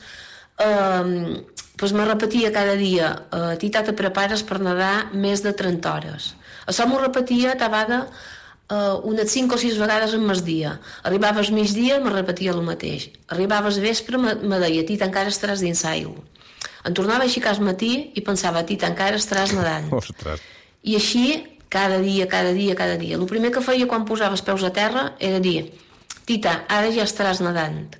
doncs me repetia cada dia, Tita, te prepares per nedar més de 30 hores. Això m'ho repetia tabada unes 5 o 6 vegades en mes dia. Arribava al migdia, me repetia el mateix. Arribava al vespre, me deia, Tita, encara estaràs dins l'aigua. Em tornava a aixecar al matí i pensava, Tita, encara estaràs nedant. Ostres. I així, cada dia. El primer que feia quan posava els peus a terra era dir, Tita, ara ja estaràs nedant.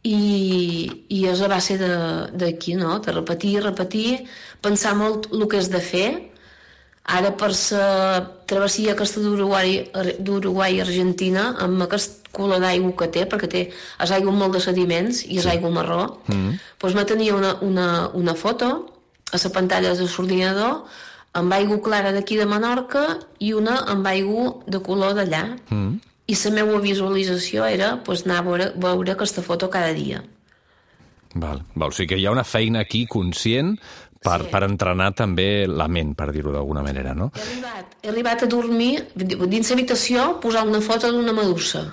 I és a base d'aquí, no? De repetir, pensar molt el que has de fer, Ara, per la travessia aquesta d'Uruguai i Argentina, amb aquest color d'aigua que té, perquè és aigua molt de sediments i és aigua marró, doncs me tenia una foto a la pantalla de l'ordinador amb aigua clara d'aquí de Menorca i una amb aigua de color d'allà. I la meva visualització era anar a veure aquesta foto cada dia. Val. O sigui que hi ha una feina aquí conscient per entrenar també la ment, per dir-ho d'alguna manera, no? He arribat a dormir, dins l'habitació, posar una foto d'una medusa,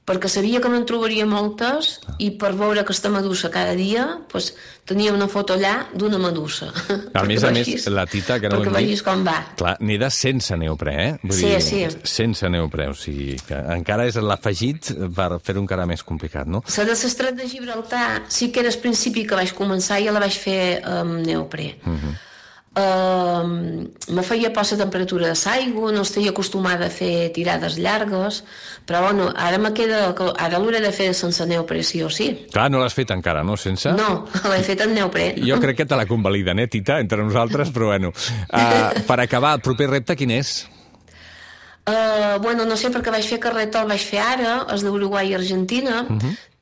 perquè sabia que me'n trobaria moltes i per veure aquesta medusa cada dia tenia una foto allà d'una medusa. A més, la Tita, que no ho hem dit... Perquè vegis com va. Clar, neda sense neoprè, Vull dir, sense neoprè, o sigui que encara és l'afegit per fer-ho encara més complicat, no? La de l'Estret de Gibraltar sí que era al principi que vaig començar i ja la vaig fer amb neoprè. Me feia por la temperatura de l'aigua, no estic acostumada a fer tirades llargues, però bueno, ara l'hauré de fer sense neoprè, sí o sí. Clar, no l'has fet encara, no? Sense? No, l'he fet en neoprè. Jo crec que te la convaliden, Tita, entre nosaltres, però bueno. Per acabar, el proper repte quin és? Bueno, no sé, perquè vaig fer carretó, el vaig fer ara, és d'Uruguai i Argentina.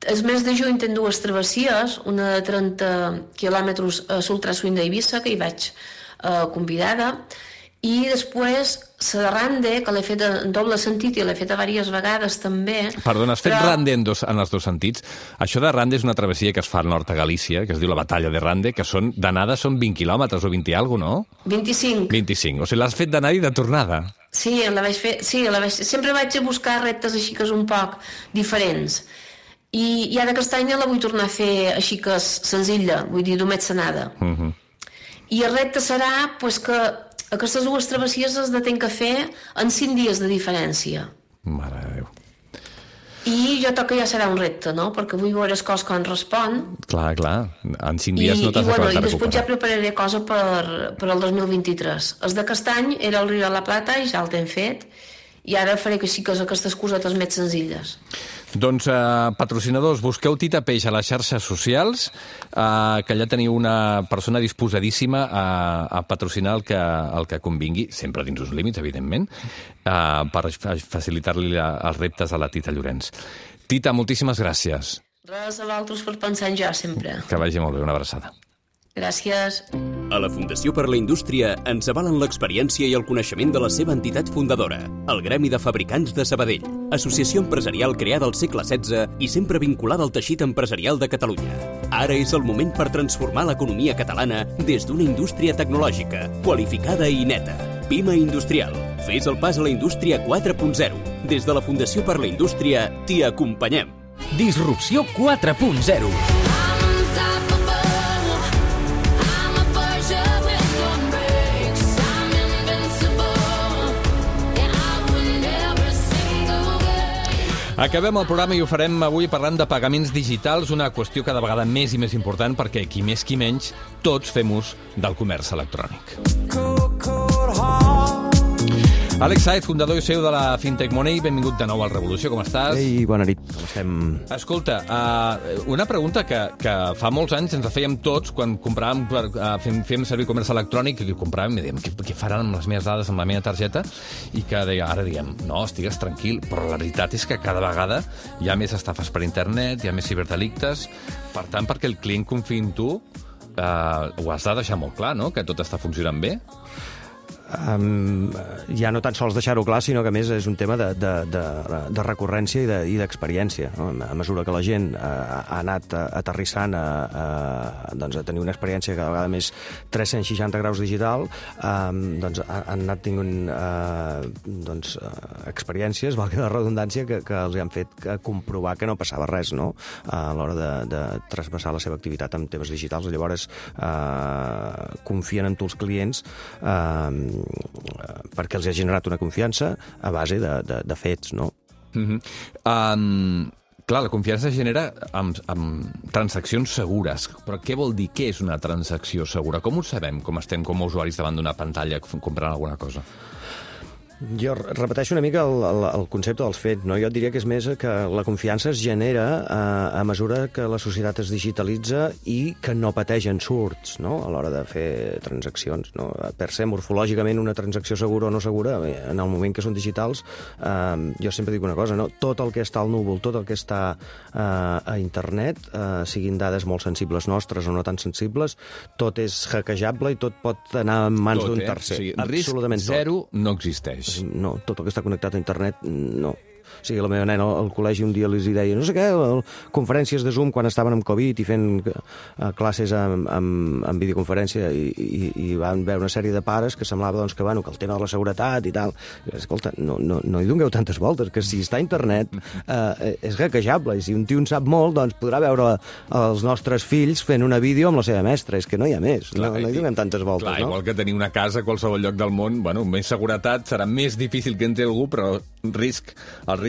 El mes de juny tenc dues travessies, una de 30 quilòmetres a l'Ultraswing d'Eivissa, que hi vaig convidada, i després la de Rande, que l'he fet en doble sentit i l'he fet diverses vegades també. Perdona, has fet Rande en els dos sentits? Això de Rande és una travessia que es fa al nord a Galícia, que es diu la Batalla de Rande, que d'anada són 20 quilòmetres o 20 i alguna cosa, no? 25. 25, o sigui, l'has fet d'anada i de tornada. Sí, la vaig fer. Sempre vaig a buscar reptes així que és un poc diferents. I ara aquest any la vull tornar a fer així que és senzilla, vull dir, només anada. I el repte serà que aquestes dues travessies les tenc que fer en 5 dies de diferència. Mare de Déu. I jo crec que ja serà un repte, no? Perquè vull veure les coses com respon. Clar. En 5 dies no t'has acabat de recuperar. I després ja prepararé cosa per al 2023. Els d'aquest any era el Rio de la Plata i ja el hem fet. I ara faré que sí que aquestes cosetes més senzilles. Doncs, patrocinadors, busqueu Tita Peix a les xarxes socials, que allà teniu una persona disposadíssima a patrocinar el que convingui, sempre dins uns límits, evidentment, per facilitar-li els reptes a la Tita Llorenç. Tita, moltíssimes gràcies. Res a vosaltres per pensar en jo, sempre. Que vagi molt bé, una abraçada. Gràcies. A la Fundació per la Indústria ens avalen l'experiència i el coneixement de la seva entitat fundadora, el Gremi de Fabricants de Sabadell, associació empresarial creada al segle XVI i sempre vinculada al teixit empresarial de Catalunya. Ara és el moment per transformar l'economia catalana des d'una indústria tecnològica, qualificada i neta. Pima Industrial. Fes el pas a la indústria 4.0. Des de la Fundació per la Indústria t'hi acompanyem. Disrupció 4.0. Acabem el programa i ho farem avui parlant de pagaments digitals, una qüestió cada vegada més i més important perquè qui més qui menys, tots fem ús del comerç electrònic. Àlex Sáez, fundador i CEO de la Fintech Money, benvingut de nou al Revolució, com estàs? Ei, bona nit, com estem? Escolta, una pregunta que fa molts anys ens la fèiem tots quan compràvem, fèiem servir comerç electrònic, i compràvem i dèiem, què faran amb les meves dades, amb la meva targeta? I que ara diem, no, estigues tranquil, però la veritat és que cada vegada hi ha més estafes per internet, hi ha més ciberdelictes, per tant, perquè el client confiï en tu, ho has de deixar molt clar, no?, que tot està funcionant bé. Ja no tan sols deixar-ho clar, sinó que a més és un tema de recurrència i d'experiència. A mesura que la gent ha anat aterrissant a tenir una experiència cada vegada més 360 graus digital, han anat tinguent experiències, valgui la redundància, que els han fet comprovar que no passava res, no?, a l'hora de traspassar la seva activitat en temes digitals. Llavors confien en tu els clients perquè els ha generat una confiança a base de fets, no? Clar, la confiança es genera amb transaccions segures. Però què vol dir? Què és una transacció segura? Com ho sabem, com estem com a usuaris davant d'una pantalla comprant alguna cosa? Jo repeteixo una mica el concepte dels fets, no? Jo et diria que és més que la confiança es genera a mesura que la societat es digitalitza i que no pateix ensurts, no?, a l'hora de fer transaccions, no? Per ser morfològicament una transacció segura o no segura, en el moment que són digitals, jo sempre dic una cosa, no? Tot el que està al núvol, tot el que està a internet, siguin dades molt sensibles nostres o no tan sensibles, tot és hackejable i tot pot anar en mans d'un tercer. O sigui, absolutament risc zero no existeix. No, tot el que està connectat a internet, no. O sigui, la meva nena al col·legi un dia els deia, no sé què, conferències de Zoom quan estaven amb Covid i fent classes amb videoconferència i van veure una sèrie de pares que semblava doncs, que el tema de la seguretat i tal. Escolta, no hi dongueu tantes voltes, que si està a internet és hackejable, i si un tio en sap molt, doncs podrà veure els nostres fills fent una vídeo amb la seva mestra. És que no hi ha més, no hi donem tantes voltes. Clar, igual que tenir una casa a qualsevol lloc del món, més seguretat, serà més difícil que entri algú, però el risc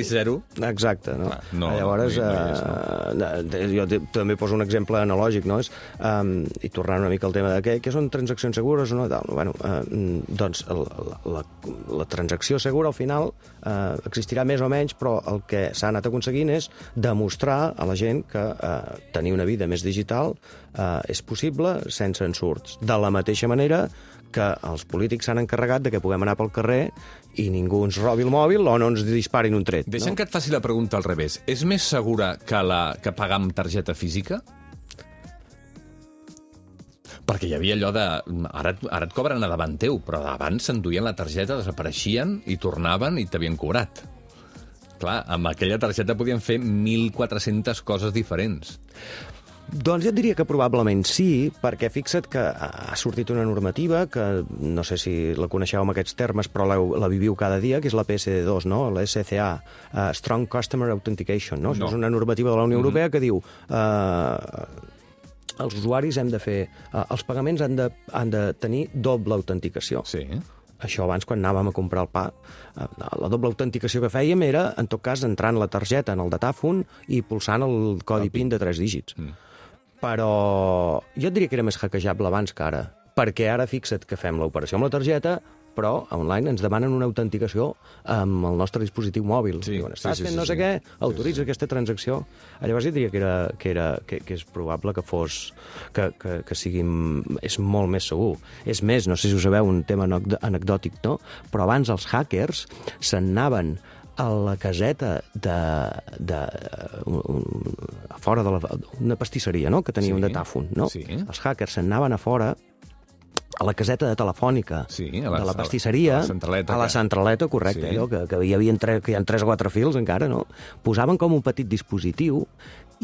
zero. Exacte, no? Llavors, jo també poso un exemple analògic, no? I tornant una mica al tema de què són transaccions segures o no? Doncs la transacció segura, al final, existirà més o menys, però el que s'ha anat aconseguint és demostrar a la gent que tenir una vida més digital és possible sense ensurts. De la mateixa manera que els polítics s'han encarregat de que puguem anar pel carrer i ningú ens robi el mòbil o no ens disparin un tret. Deixa'm que et faci la pregunta al revés. És més segura que pagar amb targeta física? Perquè hi havia allò de... Ara et cobren a davant teu, però abans s'enduien la targeta, desapareixien i tornaven i t'havien cobrat. Clar, amb aquella targeta podien fer 1.400 coses diferents. Doncs jo et diria que probablement sí, perquè fixa't que ha sortit una normativa que no sé si la coneixeu amb aquests termes, però la viviu cada dia, que és la PSD2, no? La SCA, Strong Customer Authentication, no? Això és una normativa de la Unió Europea que diu els usuaris hem de fer... els pagaments han de tenir doble autenticació. Sí. Això abans, quan anàvem a comprar el pa, la doble autenticació que fèiem era, en tot cas, entrant la targeta en el datàfon i pulsant el codi PIN de 3 dígits. Però jo et diria que era més hackejable abans que ara, perquè ara fixa't que fem l'operació amb la targeta, però online ens demanen una autenticació amb el nostre dispositiu mòbil. Diuen, estàs fent no sé què, autoritza aquesta transacció. Llavors jo diria que és probable que fos... que sigui... és molt més segur. És més, no sé si ho sabeu, un tema anecdòtic, no? Però abans els hackers s'anaven a la caseta fora d'una pastisseria, no?, que tenia un datàfon, no? Els hackers s'anaven a fora a la caseta de telefònica de la pastisseria, a la centraleta, correcte, que hi ha 3 o 4 fils encara, no? Posaven com un petit dispositiu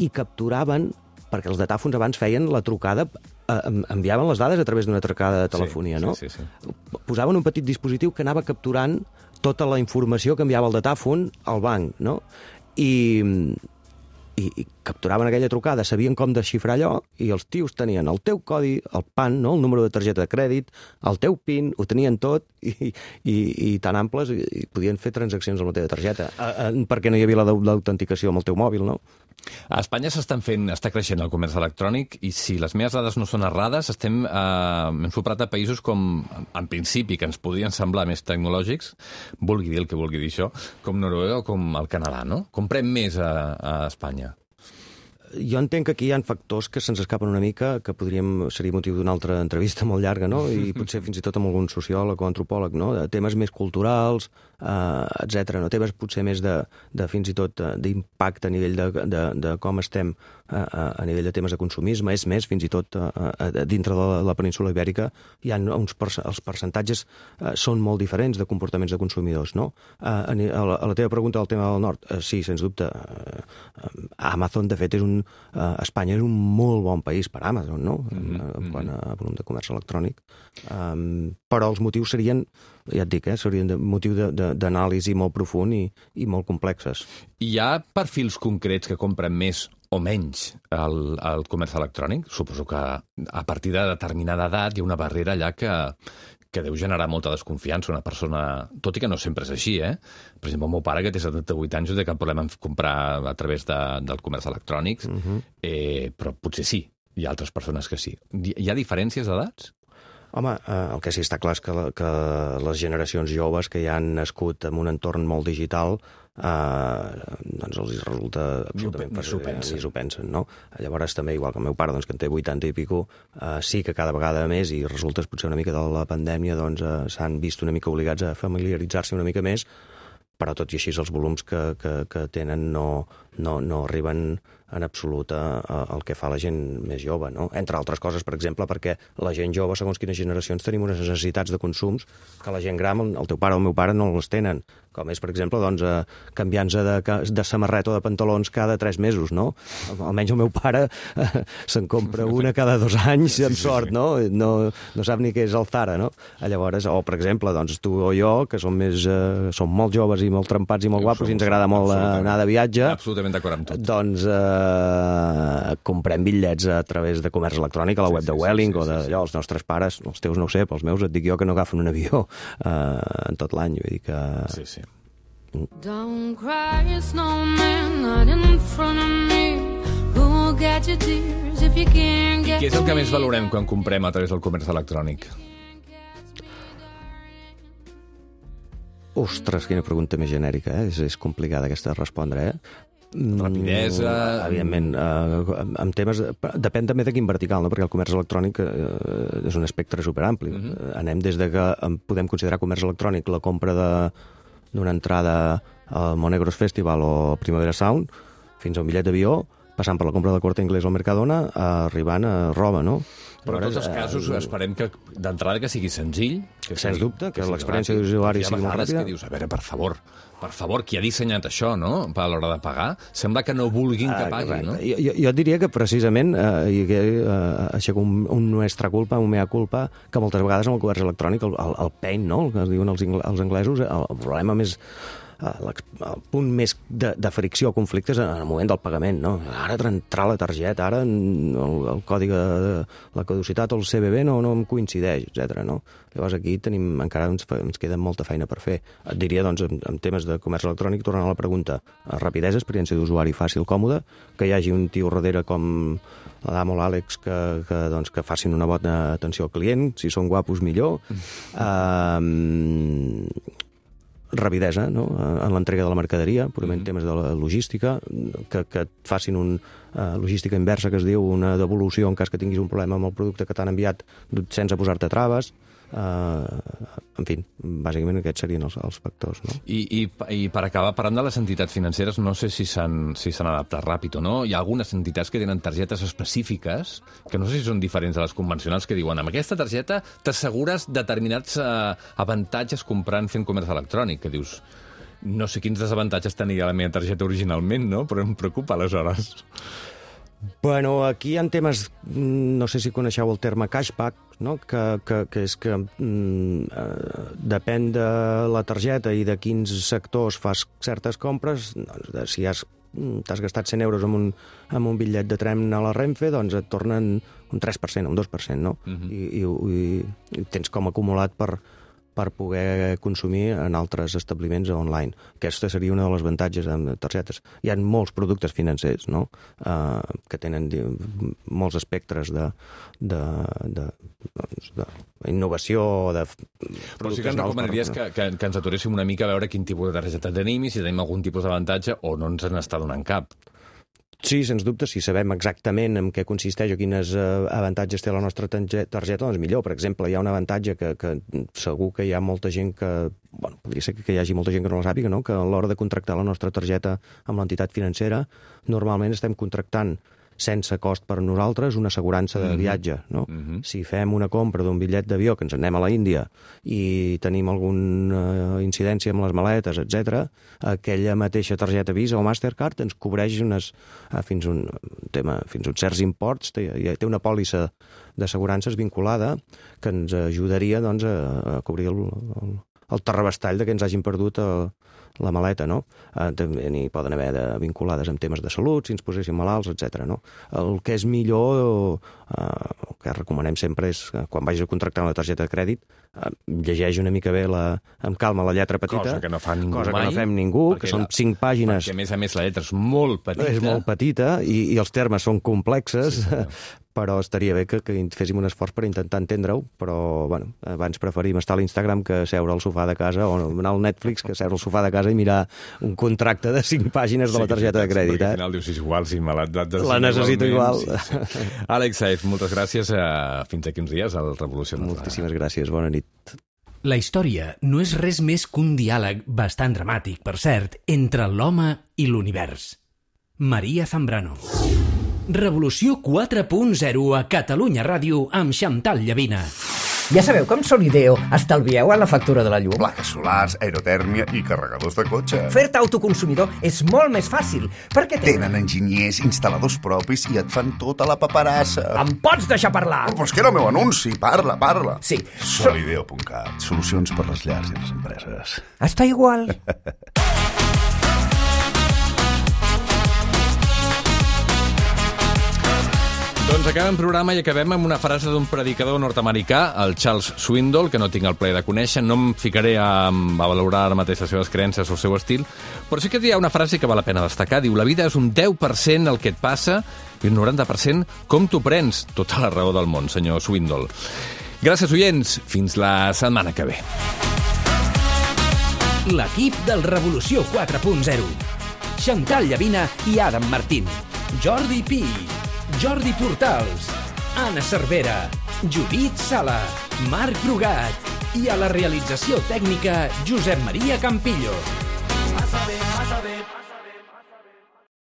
i capturaven, perquè els datàfons abans feien la trucada, enviaven les dades a través d'una trucada de telefonia, no? Posaven un petit dispositiu que anava capturant tota la informació que enviava el datàfon al banc, no? I capturaven aquella trucada, sabien com desxifrar allò, i els tios tenien el teu codi, el PAN, no?, el número de targeta de crèdit, el teu PIN, ho tenien tot, i tan amples, i podien fer transaccions amb la teva targeta, perquè no hi havia l'autenticació amb el teu mòbil, no? A Espanya està creixent el comerç electrònic, i si les meves dades no són errades, hem soprat a països com, en principi, que ens podrien semblar més tecnològics, vulgui dir el que vulgui dir això, com Noruega o com el Canadà, no? Comprem més a Espanya. Jo entenc que aquí hi ha factors que se'ns escapen una mica, que seria motiu d'una altra entrevista molt llarga, no? I potser fins i tot amb algun sociòleg o antropòleg, no? De temes més culturals, etc. No? Temes potser més de fins i tot d'impacte a nivell de com estem a nivell de temes de consumisme. És més, fins i tot dintre de la península ibèrica els percentatges són molt diferents de comportaments de consumidors, no? A la teva pregunta del tema del nord, sí, sens dubte. Amazon, de fet, Espanya és un molt bon país per Amazon, no? Quan a volum de comerç electrònic. Però els motius serien, ja et dic, serien motiu d'anàlisi molt profund i molt complexes. Hi ha perfils concrets que compren més o menys el comerç electrònic? Suposo que a partir de determinada edat hi ha una barrera allà que deu generar molta desconfiança una persona, tot i que no sempre és així, eh? Per exemple, el meu pare, que té 78 anys, no té cap problema en comprar a través del comerç electrònic, però potser sí, hi ha altres persones que sí. Hi ha diferències d'edats? Home, el que sí està clar és que les generacions joves que ja han nascut en un entorn molt digital doncs els resulta absolutament ni s'ho pensen, no? Llavors també, igual que el meu pare, doncs, que en té 80 i pico, sí que cada vegada més, i resulta potser una mica de la pandèmia, doncs s'han vist una mica obligats a familiaritzar-se una mica més, però tot i així els volums que tenen no arriben en absolut al que fa la gent més jove, no? Entre altres coses, per exemple, perquè la gent jove, segons quines generacions, tenim unes necessitats de consums que la gent gran, el teu pare o el meu pare, no les tenen. Com és, per exemple, doncs, canviant-se de samarreta o de pantalons cada 3 mesos, no? Almenys el meu pare se'n compra una cada 2 anys, amb sort, no? No sap ni què és el Zara, no? Llavors, o, per exemple, doncs, tu o jo, que som molt joves i molt trempats i molt guapos i ens agrada molt anar de viatge... Absolutament d'acord amb tot. Doncs comprem bitllets a través de comerç electrònic a la web de Vueling o d'allò, els nostres pares, els teus no ho sé, però els meus et dic jo que no agafen un avió en tot l'any, vull dir que... Sí, sí. Don't cry, snowman, not in front of me. Who'll get your tears if you can't get... Què és el que més valorem quan comprem a través del comerç electrònic? Ostres, quina pregunta més genèrica, és complicada aquesta de respondre, Rapidesa... Evidentment, amb temes... Depèn també de quin vertical, no? Perquè el comerç electrònic és un espectre superampli. Anem des de que podem considerar comerç electrònic la compra d'una entrada al Monegros Festival o Primavera Sound, fins a un bitllet d'avió, passant per la compra del Corte Inglés o Mercadona, arribant a roba, no? Però en tots els casos esperem que d'entrada que sigui senzill. Sens dubte, que l'experiència d'usuari sigui molt ràpida. Que dius, a veure, per favor, qui ha dissenyat això, no?, a l'hora de pagar, sembla que no vulguin que pagui, no? Jo diria que precisament, aixeco un nuestra culpa, un mea culpa, que moltes vegades amb el comerç electrònic, el pain, no?, el que es diuen els anglesos, el problema més... el punt més de fricció o conflicte és en el moment del pagament, no? Ara entrar la targeta, ara el codi de la caducitat o el CVV no em coincideix, etc. No? Llavors aquí encara ens queda molta feina per fer. Et diria, doncs, en temes de comerç electrònic, tornant a la pregunta, rapidesa, experiència d'usuari fàcil, còmode, que hi hagi un tio darrere com l'Adam o l'Àlex que facin una bona atenció al client, si són guapos millor, rapidesa, no?, en l'entrega de la mercaderia, purament temes de la logística, que et facin logística inversa, que es diu, una devolució en cas que tinguis un problema amb el producte que t'han enviat sense posar-te traves. En fi, bàsicament aquests serien els factors, no? I per acabar, parlant de les entitats financeres, no sé si s'han adaptat ràpid o no. Hi ha algunes entitats que tenen targetes específiques, que no sé si són diferents de les convencionals, que diuen, amb aquesta targeta t'assegures determinats avantatges comprant fent comerç electrònic, que dius, no sé quins desavantatges tenia la meva targeta originalment, no? Però em preocupa, aleshores. Bueno, aquí hi ha temes, no sé si coneixeu el terme cashback, no? Que és que depèn de la targeta i de quins sectors fas certes compres, doncs, si t'has gastat 100 euros amb un bitllet de tren a la Renfe, doncs et tornen un 3%, un 2%, no? I tens com acumulat per poder consumir en altres establiments online. Aquesta seria una de les avantatges amb targetes. Hi ha molts productes financers, no?, que tenen molts espectres d'innovació, de... Però sí que ens recomanaries que ens aturéssim una mica a veure quin tipus de targeta tenim i si tenim algun tipus d'avantatge o no ens n'està donant cap. Sí, sens dubte, si sabem exactament en què consisteix o quines avantatges té la nostra targeta, doncs millor. Per exemple, hi ha un avantatge que segur que hi ha molta gent que... Bueno, podria ser que hi hagi molta gent que no la sàpiga, no?, que a l'hora de contractar la nostra targeta amb l'entitat financera, normalment estem contractant sense cost per nosaltres una assegurança de viatge, no? Si fem una compra d'un bitllet d'avió que ens anem a la Índia i tenim alguna incidència amb les maletes, etc., aquella mateixa targeta Visa o Mastercard ens cobreix fins uns certs imports, té una pòlissa d'assegurances vinculada que ens ajudaria, doncs, a cobrir el terrabastall de que ens hagin perdut la maleta, no? També n'hi poden haver vinculades amb temes de salut, si ens poséssim malalts, etc. No? El que és millor, el que recomanem sempre és, quan vagis a contractar una targeta de crèdit, llegeix una mica bé amb calma la lletra petita. Cosa que no fa ningú mai. Cosa que no fem ningú, que són 5 pàgines. Perquè, a més, la lletra és molt petita. És molt petita i els termes són complexes, però estaria bé que féssim un esforç per intentar entendre-ho, però bueno, abans preferim estar a l'Instagram que seure al sofà de casa, o anar al Netflix que seure al sofà de casa i mirar un contracte de 5 pàgines de la targeta de crèdit. Perquè al final dius, igual, si me l'has de la necessito igual. Sí. Àlex Saez, moltes gràcies. Fins aquí uns dies al Revolució. Moltíssimes gràcies, bona nit. La història no és res més que un diàleg bastant dramàtic, per cert, entre l'home i l'univers. Maria Zambrano. Revolució 4.0 a Catalunya Ràdio amb Chantal Llavina. Ja sabeu que amb Solideo estalvieu a la factura de la llum? Plaques solars, aerotèrmia i carregadors de cotxe. Fer-te autoconsumidor és molt més fàcil, perquè tenen enginyers, instal·ladors propis i et fan tota la paperassa. Em pots deixar parlar? Però és que era el meu anunci, parla. Sí. Solideo.cat, solucions per les llars i les empreses. Està igual. Doncs acabem programa i acabem amb una frase d'un predicador nord-americà, el Charles Swindoll, que no tinc el plaer de conèixer. No em ficaré a valorar ara mateix les seves creences o el seu estil, però sí que hi ha una frase que val la pena destacar. Diu, la vida és un 10% el que et passa i un 90% com t'ho prens. Tota la raó del món, senyor Swindoll. Gràcies, oients. Fins la setmana que ve. L'equip del Revolució 4.0. Chantal Llavina i Adam Martín. Jordi Pi. Jordi Portals, Anna Cervera, Judit Sala, Marc Brugat i a la realització tècnica Josep Maria Campillo. Vas a ver.